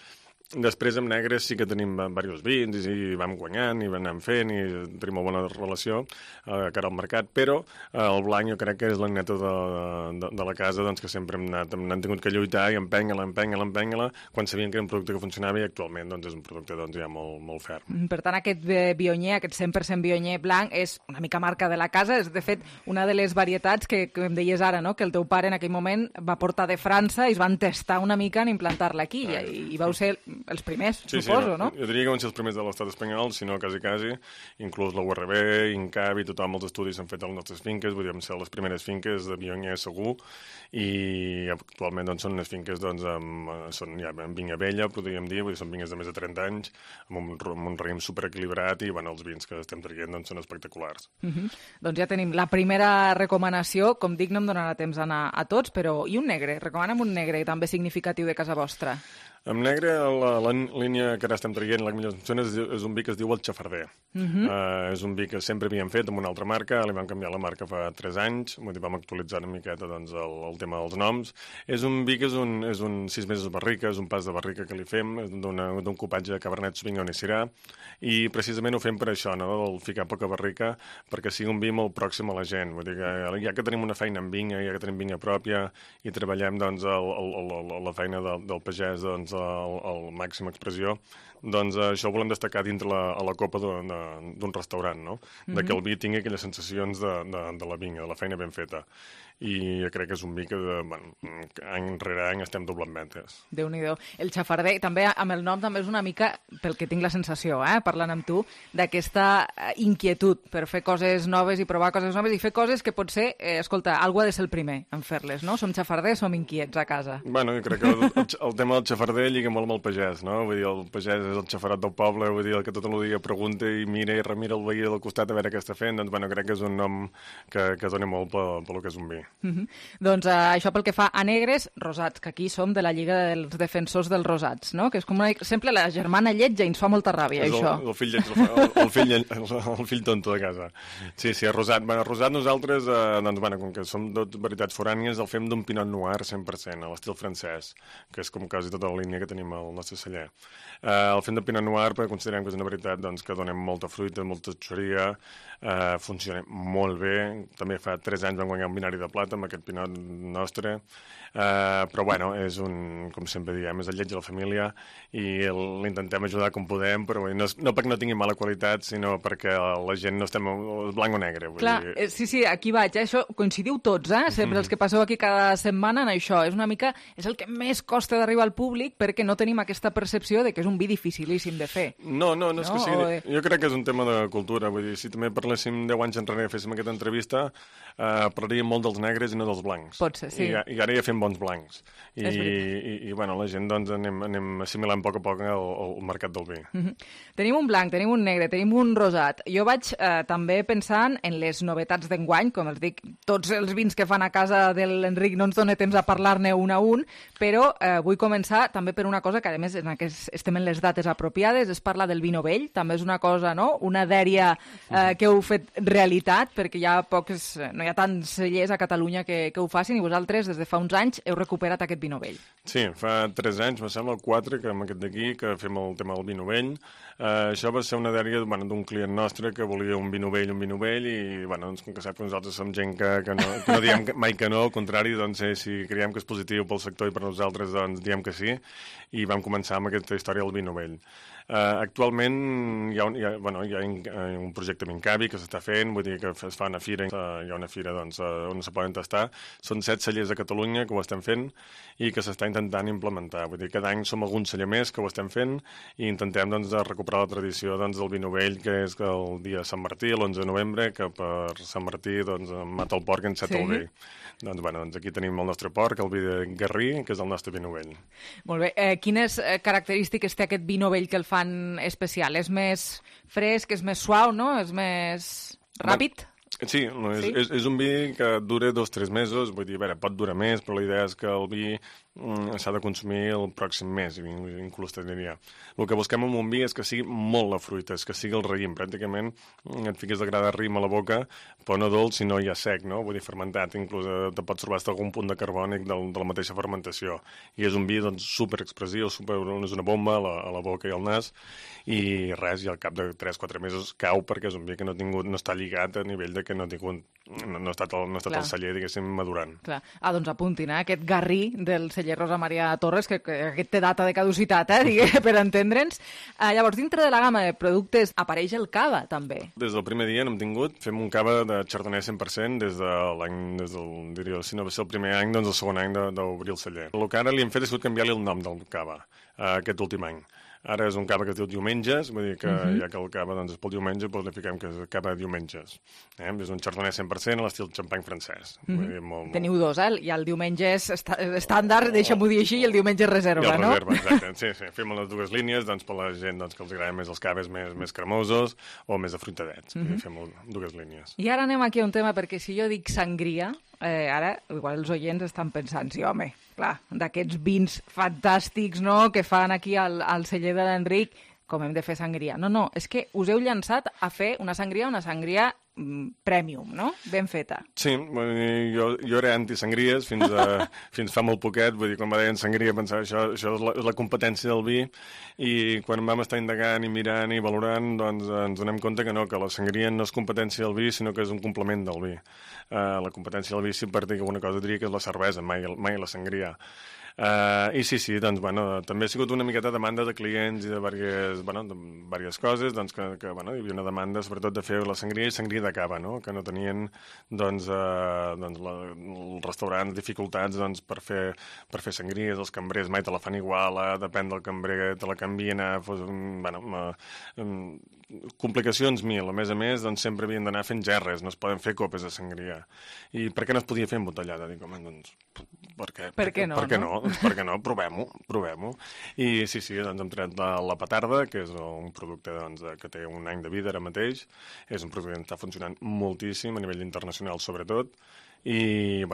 Speaker 32: Després, amb negres, sí que tenim diversos vins i vam guanyant i vam anar fent i tenim una bona relació cara al mercat, però el blanc jo crec que és la neta de la casa, doncs, que sempre hem tingut que lluitar i empènyer-la, quan sabien que era un producte que funcionava, i actualment doncs, és un producte doncs, ja molt ferm.
Speaker 3: Per tant, aquest Viognier, aquest 100% Viognier blanc, és una mica marca de la casa, és de fet una de les varietats que em deies ara, no? Que el teu pare en aquell moment va portar de França i es van testar una mica en implantar-la aquí, i vau ser els primers, suposo, no?
Speaker 32: Jo diria que van ser els primers de l'estat espanyol, si no quasi, inclús la URB, INCAB i tothom, els estudis s'han fet a les nostres finques, vull dir, vam ser les primeres finques de Viognier segur, i actualment doncs, són unes finques doncs, són ja amb vinya vella, podríem dir, vull dir, són vinyes de més de 30 anys, amb un raïm superequilibrat, i bueno, els vins que estem traient doncs, són espectaculars.
Speaker 3: Doncs ja tenim la primera recomanació, com dic, no em donarà temps d'anar a tots, però i un negre? Recomana'm un negre també significatiu de casa vostra.
Speaker 32: Amb negre, la línia que ara estem traient, la millor és un vi que es diu el Xafarder. És un vi que sempre havíem fet amb una altra marca, li vam canviar la marca fa 3 anys, vam actualitzar una miqueta doncs, el tema dels noms. És un vi que és un 6 mesos de barrica, és un pas de barrica que li fem, d'un copatge de Cabernet Sauvignon i Syrah, i precisament ho fem per això, no? El ficar poca barrica, perquè sigui un vi molt pròxim a la gent. Vull dir que ja que tenim una feina en vinya, ja que tenim vinya pròpia, i treballem doncs, la feina del pagès doncs, el màxima expressió, doncs això ho volem destacar dintre a la copa d'un restaurant, no? De que el vi tingui aquelles sensacions de la vinya, de la feina ben feta. I jo crec que és un vi que any rere any estem doblant ventes.
Speaker 3: Déu-n'hi-do. El Xafarder, també amb el nom, també és una mica, pel que tinc la sensació, parlant amb tu, d'aquesta inquietud per fer coses noves i provar coses noves i fer coses que potser, escolta, algú ha de ser el primer en fer-les, no? Som xafarders, som inquiets a casa.
Speaker 32: Bueno, jo crec que el tema del xafarder lliga molt amb el pagès, no? Vull dir, el pagès és el xafarat del poble, vull dir, el que tot el dia pregunta i mira i remira el veí del costat a veure què està fent, doncs, bueno, crec que és un nom que dona molt pel que és un vi.
Speaker 3: Doncs això pel que fa a negres, rosats, que aquí som de la Lliga dels Defensors dels Rosats, no? Que és com sempre la germana lletja i ens fa molta ràbia, això.
Speaker 32: El fill lleig, el fill tonto de casa. Sí, rosat. Bueno, rosat nosaltres, doncs, bueno, com que som dos varietats forànies, el fem d'un Pinot Noir 100%, a l'estil francès, que és com quasi tota la línia que tenim al nostre celler. El fem de Pinot Noir perquè considerem que és una varietat doncs, que donem molta fruita, molta xuria, funciona molt bé. També fa 3 anys vam guanyar un binari de plata amb aquest Pinot nostre, però bueno, és com sempre diem, és el lleig de la família i l'intentem ajudar com podem, però no perquè no tingui mala qualitat, sinó perquè la gent no estem blanc o negre.
Speaker 3: Clar, sí, aquí vaig, això coincidiu tots, sempre els que passeu aquí cada setmana en això, és una mica, és el que més costa d'arribar al públic perquè no tenim aquesta percepció de que és un vi dificilíssim de fer.
Speaker 32: No és que sigui, jo crec que és un tema de cultura, vull dir, si també parléssim 10 anys enrere i féssim aquesta entrevista, parlaríem molt dels negres i no dels blancs.
Speaker 3: Pot ser, sí.
Speaker 32: I ara ja fem bons blancs. I bueno, la gent doncs anem assimilant a poc el mercat del vi.
Speaker 3: Tenim un blanc, tenim un negre, tenim un rosat. Jo vaig també pensant en les novetats d'enguany, com els dic, tots els vins que fan a casa de l'Enric no ens dona temps a parlar-ne un a un, però vull començar també per una cosa que, a més, estem en les dates apropiades, es parla del vi novell, també és una cosa, no?, una dèria que heu fet realitat, perquè no hi ha tants cellers a Catalunya que ho facin, i vosaltres, des de fa uns anys, heu recuperat aquest vi novell.
Speaker 32: Sí, fa 3 anys, me sembla, 4, que amb aquest d'aquí, que fem el tema del vi novell. Això va ser una dèria d'un client nostre que volia un vi novell, i, bueno, com que sap que nosaltres som gent que no diem mai que no, al contrari, doncs, si creiem que és positiu pel sector i per nosaltres, doncs, diem que sí, i vam començar amb aquesta història del vi novell. Novell. Actualment hi ha un projecte amb Incavi que s'està fent, vull dir que es fa una fira, hi ha una fira doncs, on se poden tastar. Són 7 cellers a Catalunya que ho estem fent i que s'està intentant implementar. Vull dir, cada any som algun celler més que ho estem fent i intentem doncs, recuperar la tradició doncs, del vi novell, que és el dia de Sant Martí, l'11 de novembre, que per Sant Martí doncs, mata el porc i enceta el vi. Doncs aquí tenim el nostre porc, el vi de Garrí, que és el nostre vi novell.
Speaker 3: Molt bé. Quines característiques té aquest vi novell que el fan especial? És més fresc, és més suau, no? És més ràpid?
Speaker 32: Sí, és un vi que dura 2 o 3 mesos, vull dir, pot durar més, però la idea és que el vi s'ha de consumir el pròxim mes, inclús te diria. El que busquem en un vi és que sigui molt la fruita, és que sigui el raïm, pràcticament et fiques de gra de raïm a la boca, però no dolç, sinó ja sec, no? Vull dir, fermentat, inclús te pots trobar algun punt de carbònic de la mateixa fermentació. I és un vi doncs, superexpressiu, és una bomba a la boca i al nas, i res, i al cap de 3-4 mesos cau perquè és un vi que no està lligat a nivell de que no ha estat el celler, diguéssim, madurant.
Speaker 3: Clar. Doncs apuntin, aquest Garrí del celler Rosa Maria Torres, que aquest té data de caducitat, per entendre'ns. Llavors, dintre de la gamma de productes apareix el cava, també.
Speaker 32: Des del primer dia n'hem tingut, fem un cava de Chardonnay 100% diria, si no va ser el primer any, doncs el segon any d'obrir el celler. El que ara li hem fet és canviar-li el nom del cava, aquest últim any. Ara és un cava que es diu Diumenges, vull dir que ja que el cava doncs, és pel diumenge, doncs li fiquem que és cava de diumenges. És un Chardonnay 100% a l'estil xampany francès. Vull dir, molt...
Speaker 3: Teniu dos, i el diumenge és estàndard, deixa'm-ho dir així, i el diumenge és reserva, no?
Speaker 32: I el reserva, exacte. Sí, fem les dues línies doncs, per la gent que els agraden més els caves més cremosos o més afruitadets. Fem dues línies.
Speaker 3: I ara anem aquí a un tema, perquè si jo dic sangria, ara, igual els oients estan pensant, sí, home, clar, d'aquests vins fantàstics, no?, que fan aquí al celler de l'Enric, com hem de fer sangria. No, és que us heu llançat a fer una sangria premium, no?, ben feta.
Speaker 32: Sí, jo era anti-sangries fins fa molt poquet, vull dir, quan va dir sangria pensava això és la competència del vi, i quan vam estar indagant i mirant i valorant, doncs ens donem compte que no, que la sangria no és competència del vi, sinó que és un complement del vi. La competència del vi, si per dir alguna cosa, diria que és la cervesa, mai la sangria. I sí, doncs, també ha sigut una miqueta demanda de clients i de diverses coses, doncs, que hi havia una demanda sobretot de fer la sangria i sangria de cava, no?, que no tenien els restaurants dificultats per fer sangries, els cambrers mai te la fan igual, depèn del cambrer, te la canvien, complicacions mil. A més, doncs, sempre havien d'anar fent gerres, no es poden fer copes de sangria. I per què no es podia fer embotellada? Dic, home, doncs, per què no? Doncs per què no? Provem-ho. I sí, doncs hem tret la petarda, que és un producte que té un any de vida ara mateix. És un producte que està funcionant moltíssim, a nivell internacional sobretot, i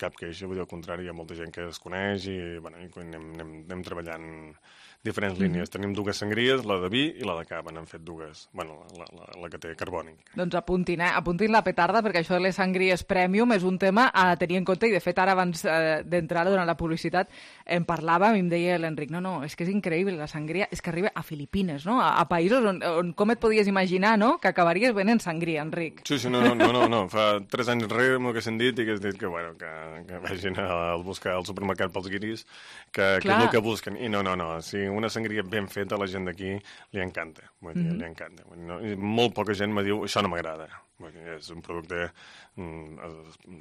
Speaker 32: cap queixa, vull dir, al contrari, hi ha molta gent que es coneix i anem treballant diferents línies. Tenim dues sangries, la de vi i la de cava, n'hem fet dues, la que té carbònic.
Speaker 3: Doncs apuntin la petarda, perquè això de les sangries premium és un tema a tenir en compte, i de fet ara abans d'entrar durant la publicitat em parlava i em deia l'Enric, no, és que és increïble, la sangria és que arriba a Filipines, no?, a països on com et podies imaginar, no?, que acabaries venent sangria, Enric.
Speaker 32: Sí, no, fa 3 anys enrere m'ho haguessin dit i que has dit que vagin a buscar al supermercat pels guiris, que és el que busquen, i no, si una sangria ben feta a la gent d'aquí li encanta, li encanta. Molt poca gent me diu, això no m'agrada. És un producte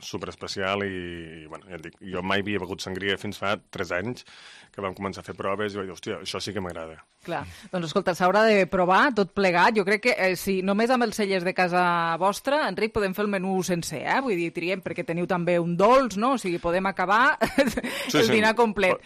Speaker 32: superespecial i ja et dic, jo mai havia begut sangria fins fa 3 anys que vam començar a fer proves i vaig dir, hòstia, això sí que m'agrada.
Speaker 3: Clar, doncs escolta, s'haurà de provar tot plegat. Jo crec que si només amb els cellers de casa vostra, Enric, podem fer el menú sencer, vull dir, triem, perquè teniu també un dolç, no? O sigui, podem acabar el dinar complet.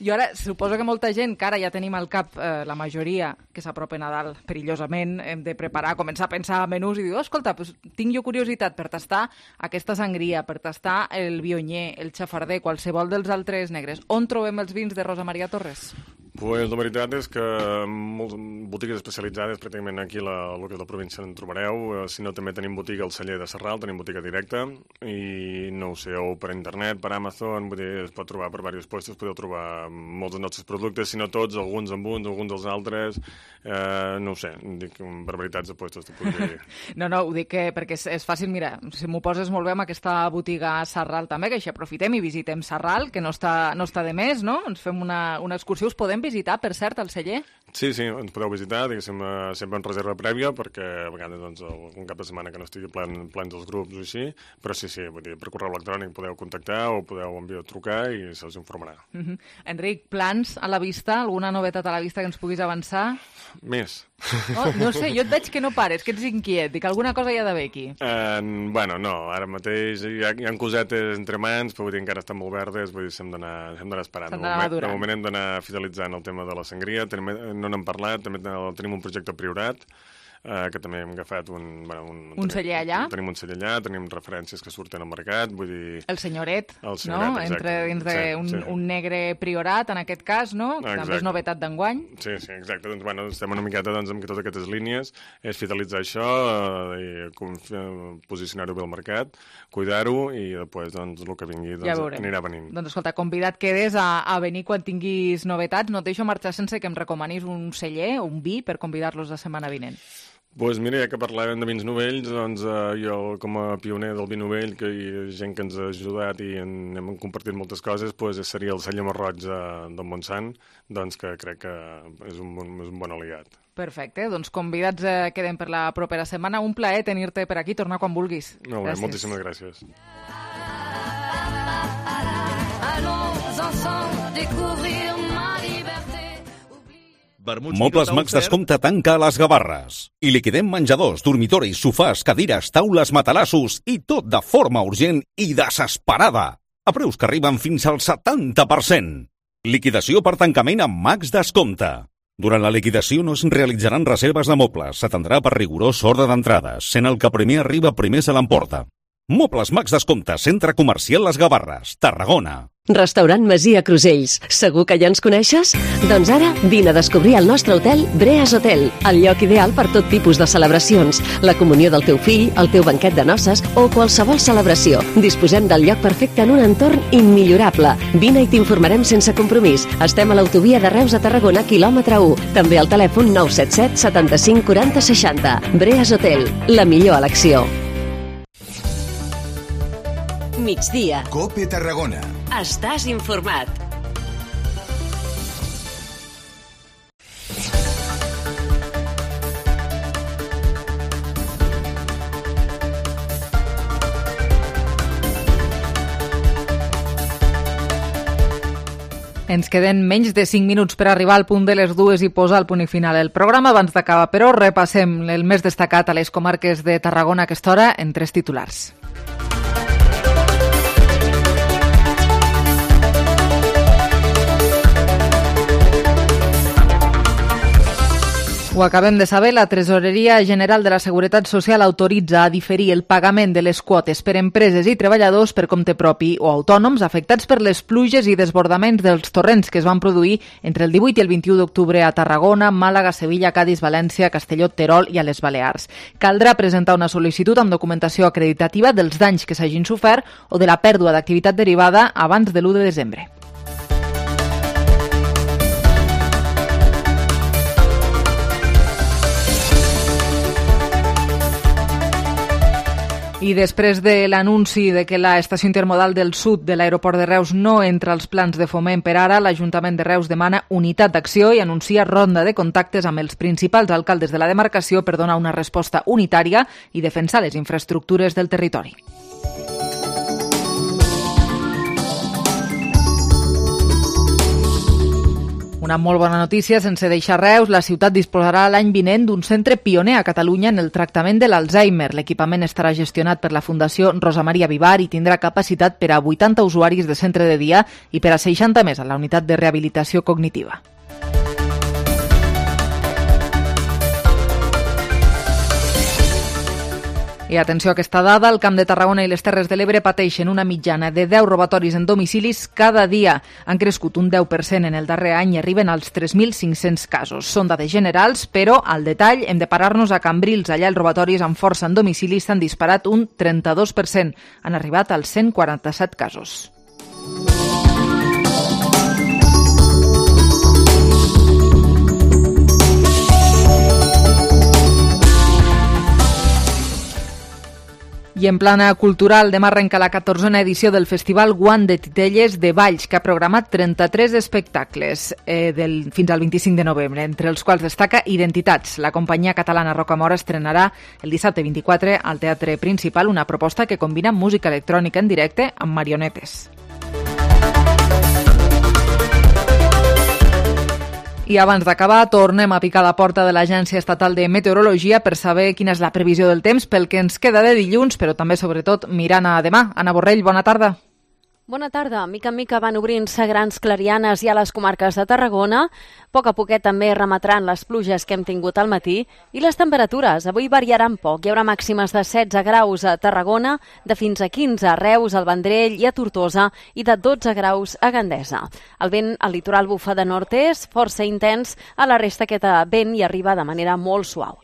Speaker 3: I ara, suposo que molta gent, que ara ja tenim al cap la majoria que s'apropa a Nadal perillosament, hem de preparar, començar a pensar menús i dir, escolta, tinc jo curiositat per tastar aquesta sangria, per tastar el vionyer, el xafarder, qualsevol dels altres negres. On trobem els vins de Rosa Maria Torres?
Speaker 32: Pues la veritat és que moltes botigues especialitzades, pràcticament aquí a lo que és la província en trobareu. Si no, també tenim botiga al celler de Sarral, tenim botiga directa, i no ho sé, o per internet, per Amazon, vull dir, es pot trobar per diversos puestos, podeu trobar molts dels nostres productes, si no tots, alguns amb uns, alguns dels altres, no ho sé, dic barbaritats de puestos, t'ho podria dir.
Speaker 3: No, ho dic perquè és fàcil, mira, si m'ho poses molt bé amb aquesta botiga a Sarral també, que així aprofitem i visitem Sarral, que no està de més, no? Ens fem una excursió, us podem visitar, per cert, el celler?
Speaker 32: Sí, ens podeu visitar, diguéssim, sempre en reserva prèvia, perquè a vegades doncs, un cap de setmana que no estigui plens els grups o així, però sí, vull dir, per correu electrònic podeu contactar o podeu trucar i se us informarà.
Speaker 3: Enric, plans a la vista? Alguna novetat a la vista que ens puguis avançar?
Speaker 32: Més.
Speaker 3: No sé, jo et veig que no pares, que ets inquiet, i que alguna cosa hi ha d'haver aquí.
Speaker 32: Bueno, no, ara mateix hi ha cosetes entre mans, però vull dir, encara estan molt verdes, vull dir, hem d'anar esperant. De moment hem d'anar fidelitzant el tema de la sangria, no n'hem parlat, també tenim un projecte Priorat, que també hem agafat
Speaker 3: un celler allà.
Speaker 32: Tenim un celler allà, tenim referències que surten al mercat, vull dir...
Speaker 3: El senyoret,
Speaker 32: no? Exacte.
Speaker 3: Dins d'un negre Priorat, en aquest cas, no? Exacte. També és novetat d'enguany.
Speaker 32: Sí, exacte. Doncs, estem una miqueta amb totes aquestes línies, és fidelitzar això, posicionar-ho bé al mercat, cuidar-ho i després, el que vingui, anirà venint.
Speaker 3: Doncs, escolta, convidat quedes a venir quan tinguis novetats. No et deixo marxar sense que em recomanis un celler, un vi, per convidar-los la setmana vinent.
Speaker 32: Doncs mira, ja que parlàvem de vins novells, doncs jo com a pioner del vi novell, que hi ha gent que ens ha ajudat i hem compartit moltes coses, doncs seria el celler Marroig del Montsant, doncs que crec que és un bon aliat.
Speaker 3: Perfecte, doncs convidats queden per la propera setmana. Un plaer tenir-te per aquí, tornar quan vulguis.
Speaker 32: Molt bé, moltíssimes gràcies.
Speaker 4: Allons ensemble découvrir ma liberté.
Speaker 6: Mobles Max Descompte tanca a les Gavarres. I liquidem menjadors, dormitoris, sofàs, cadires, taules, matalassos i tot de forma urgent i desesperada. A preus que arriben fins al 70%. Liquidació per tancament amb Max Descompte. Durant la liquidació no es realitzaran reserves de mobles. S'atendrà per rigorós ordre d'entrades, sent el que primer arriba primer se l'emporta. Mobles Max Descompte, Centre Comercial Les Gavarres, Tarragona.
Speaker 9: Restaurant Masia Crusells. Segur que ja ens coneixes? Doncs ara vine a descobrir el nostre hotel Breas Hotel, el lloc ideal per tot tipus de celebracions, la comunió del teu fill, el teu banquet de noces o qualsevol celebració. Disposem del lloc perfecte en un entorn immillorable. Vine i t'informarem sense compromís. Estem a l'autovia de Reus a Tarragona, quilòmetre 1. També al telèfon 977 75 40 60. Breas Hotel, la millor elecció.
Speaker 10: Migdia.
Speaker 24: COPE Tarragona.
Speaker 10: Estàs informat.
Speaker 3: Ens queden menys de 5 minuts per arribar al punt de les 2 i posar el punt i final el programa. Abans d'acabar, però, repassem el més destacat a les comarques de Tarragona a aquesta hora en 3 titulars. Ho acabem de saber, la Tresoreria General de la Seguretat Social autoritza a diferir el pagament de les quotes per empreses i treballadors per compte propi o autònoms afectats per les pluges i desbordaments dels torrents que es van produir entre el 18 i el 21 d'octubre a Tarragona, Màlaga, Sevilla, Cadis, València, Castelló, Terol i a les Balears. Caldrà presentar una sol·licitud amb documentació acreditativa dels danys que s'hagin sofert o de la pèrdua d'activitat derivada abans de l'1 de desembre. I després de l'anunci de que la estació intermodal del sud de l'aeroport de Reus no entra als plans de foment per ara, l'Ajuntament de Reus demana unitat d'acció i anuncia ronda de contactes amb els principals alcaldes de la demarcació per donar una resposta unitària i defensar les infraestructures del territori. Una molt bona notícia, sense deixar Reus, la ciutat disposarà l'any vinent d'un centre pioner a Catalunya en el tractament de l'Alzheimer. L'equipament estarà gestionat per la Fundació Rosa Maria Vivar i tindrà capacitat per a 80 usuaris de centre de dia i per a 60 més a la unitat de rehabilitació cognitiva. I atenció a aquesta dada, el Camp de Tarragona i les Terres de l'Ebre pateixen una mitjana de 10 robatoris en domicilis cada dia. Han crescut un 10% en el darrer any i arriben als 3.500 casos. Són dades generals, però al detall hem de parar-nos a Cambrils. Allà els robatoris amb força en domicilis s'han disparat un 32%. Han arribat als 147 casos. I en plana cultural, demà arrenca la 14a edició del Festival Guant de Titelles de Valls, que ha programat 33 espectacles fins al 25 de novembre, entre els quals destaca Identitats. La companyia catalana Rocamora estrenarà el dissabte 24 al Teatre Principal una proposta que combina música electrònica en directe amb marionetes. I abans d'acabar, tornem a picar la porta de l'Agència Estatal de Meteorologia per saber quina és la previsió del temps pel que ens queda de dilluns, però també, sobretot, mirant a demà. Anna Borrell, bona tarda.
Speaker 1: Bona tarda. Mica en mica van obrint-se grans clarianes ja a les comarques de Tarragona. A poc a poquet també remetran les pluges que hem tingut al matí. I les temperatures avui variaran poc. Hi haurà màximes de 16 graus a Tarragona, de fins a 15 a Reus, al Vendrell i a Tortosa i de 12 graus a Gandesa. El vent al litoral bufa de nord-est, força intens, a la resta aquest vent hi arriba de manera molt suau.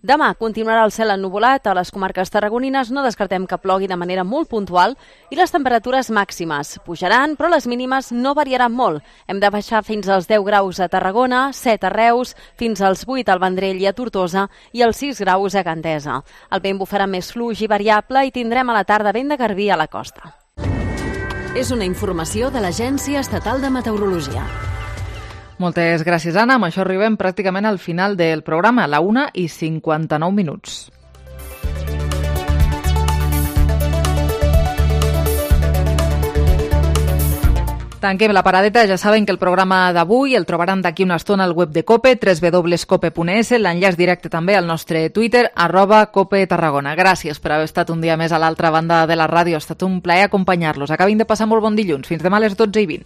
Speaker 1: Demà continuarà el cel ennuvolat a les comarques tarragonines, no descartem que plogui de manera molt puntual i les temperatures màximes pujaran, però les mínimes no variaran molt. Hem de baixar fins als 10 graus a Tarragona, 7 a Reus, fins als 8 al Vendrell i a Tortosa i als 6 graus a Gandesa. El vent bufarà més fluix i variable i tindrem a la tarda vent de garbí a la costa.
Speaker 10: És una informació de l'Agència Estatal de Meteorologia.
Speaker 3: Moltes gràcies, Anna. Amb això arribem pràcticament al final del programa, a la 1:59. Tanquem la paradeta. Ja saben que el programa d'avui el trobaran d'aquí una estona al web de COPE, www.cope.es, l'enllaç directe també al nostre Twitter, @COPETarragona. Gràcies per haver estat un dia més a l'altra banda de la ràdio. Ha estat un plaer acompanyar-los. Acabin de passar molt bon dilluns. Fins demà a les 12:20.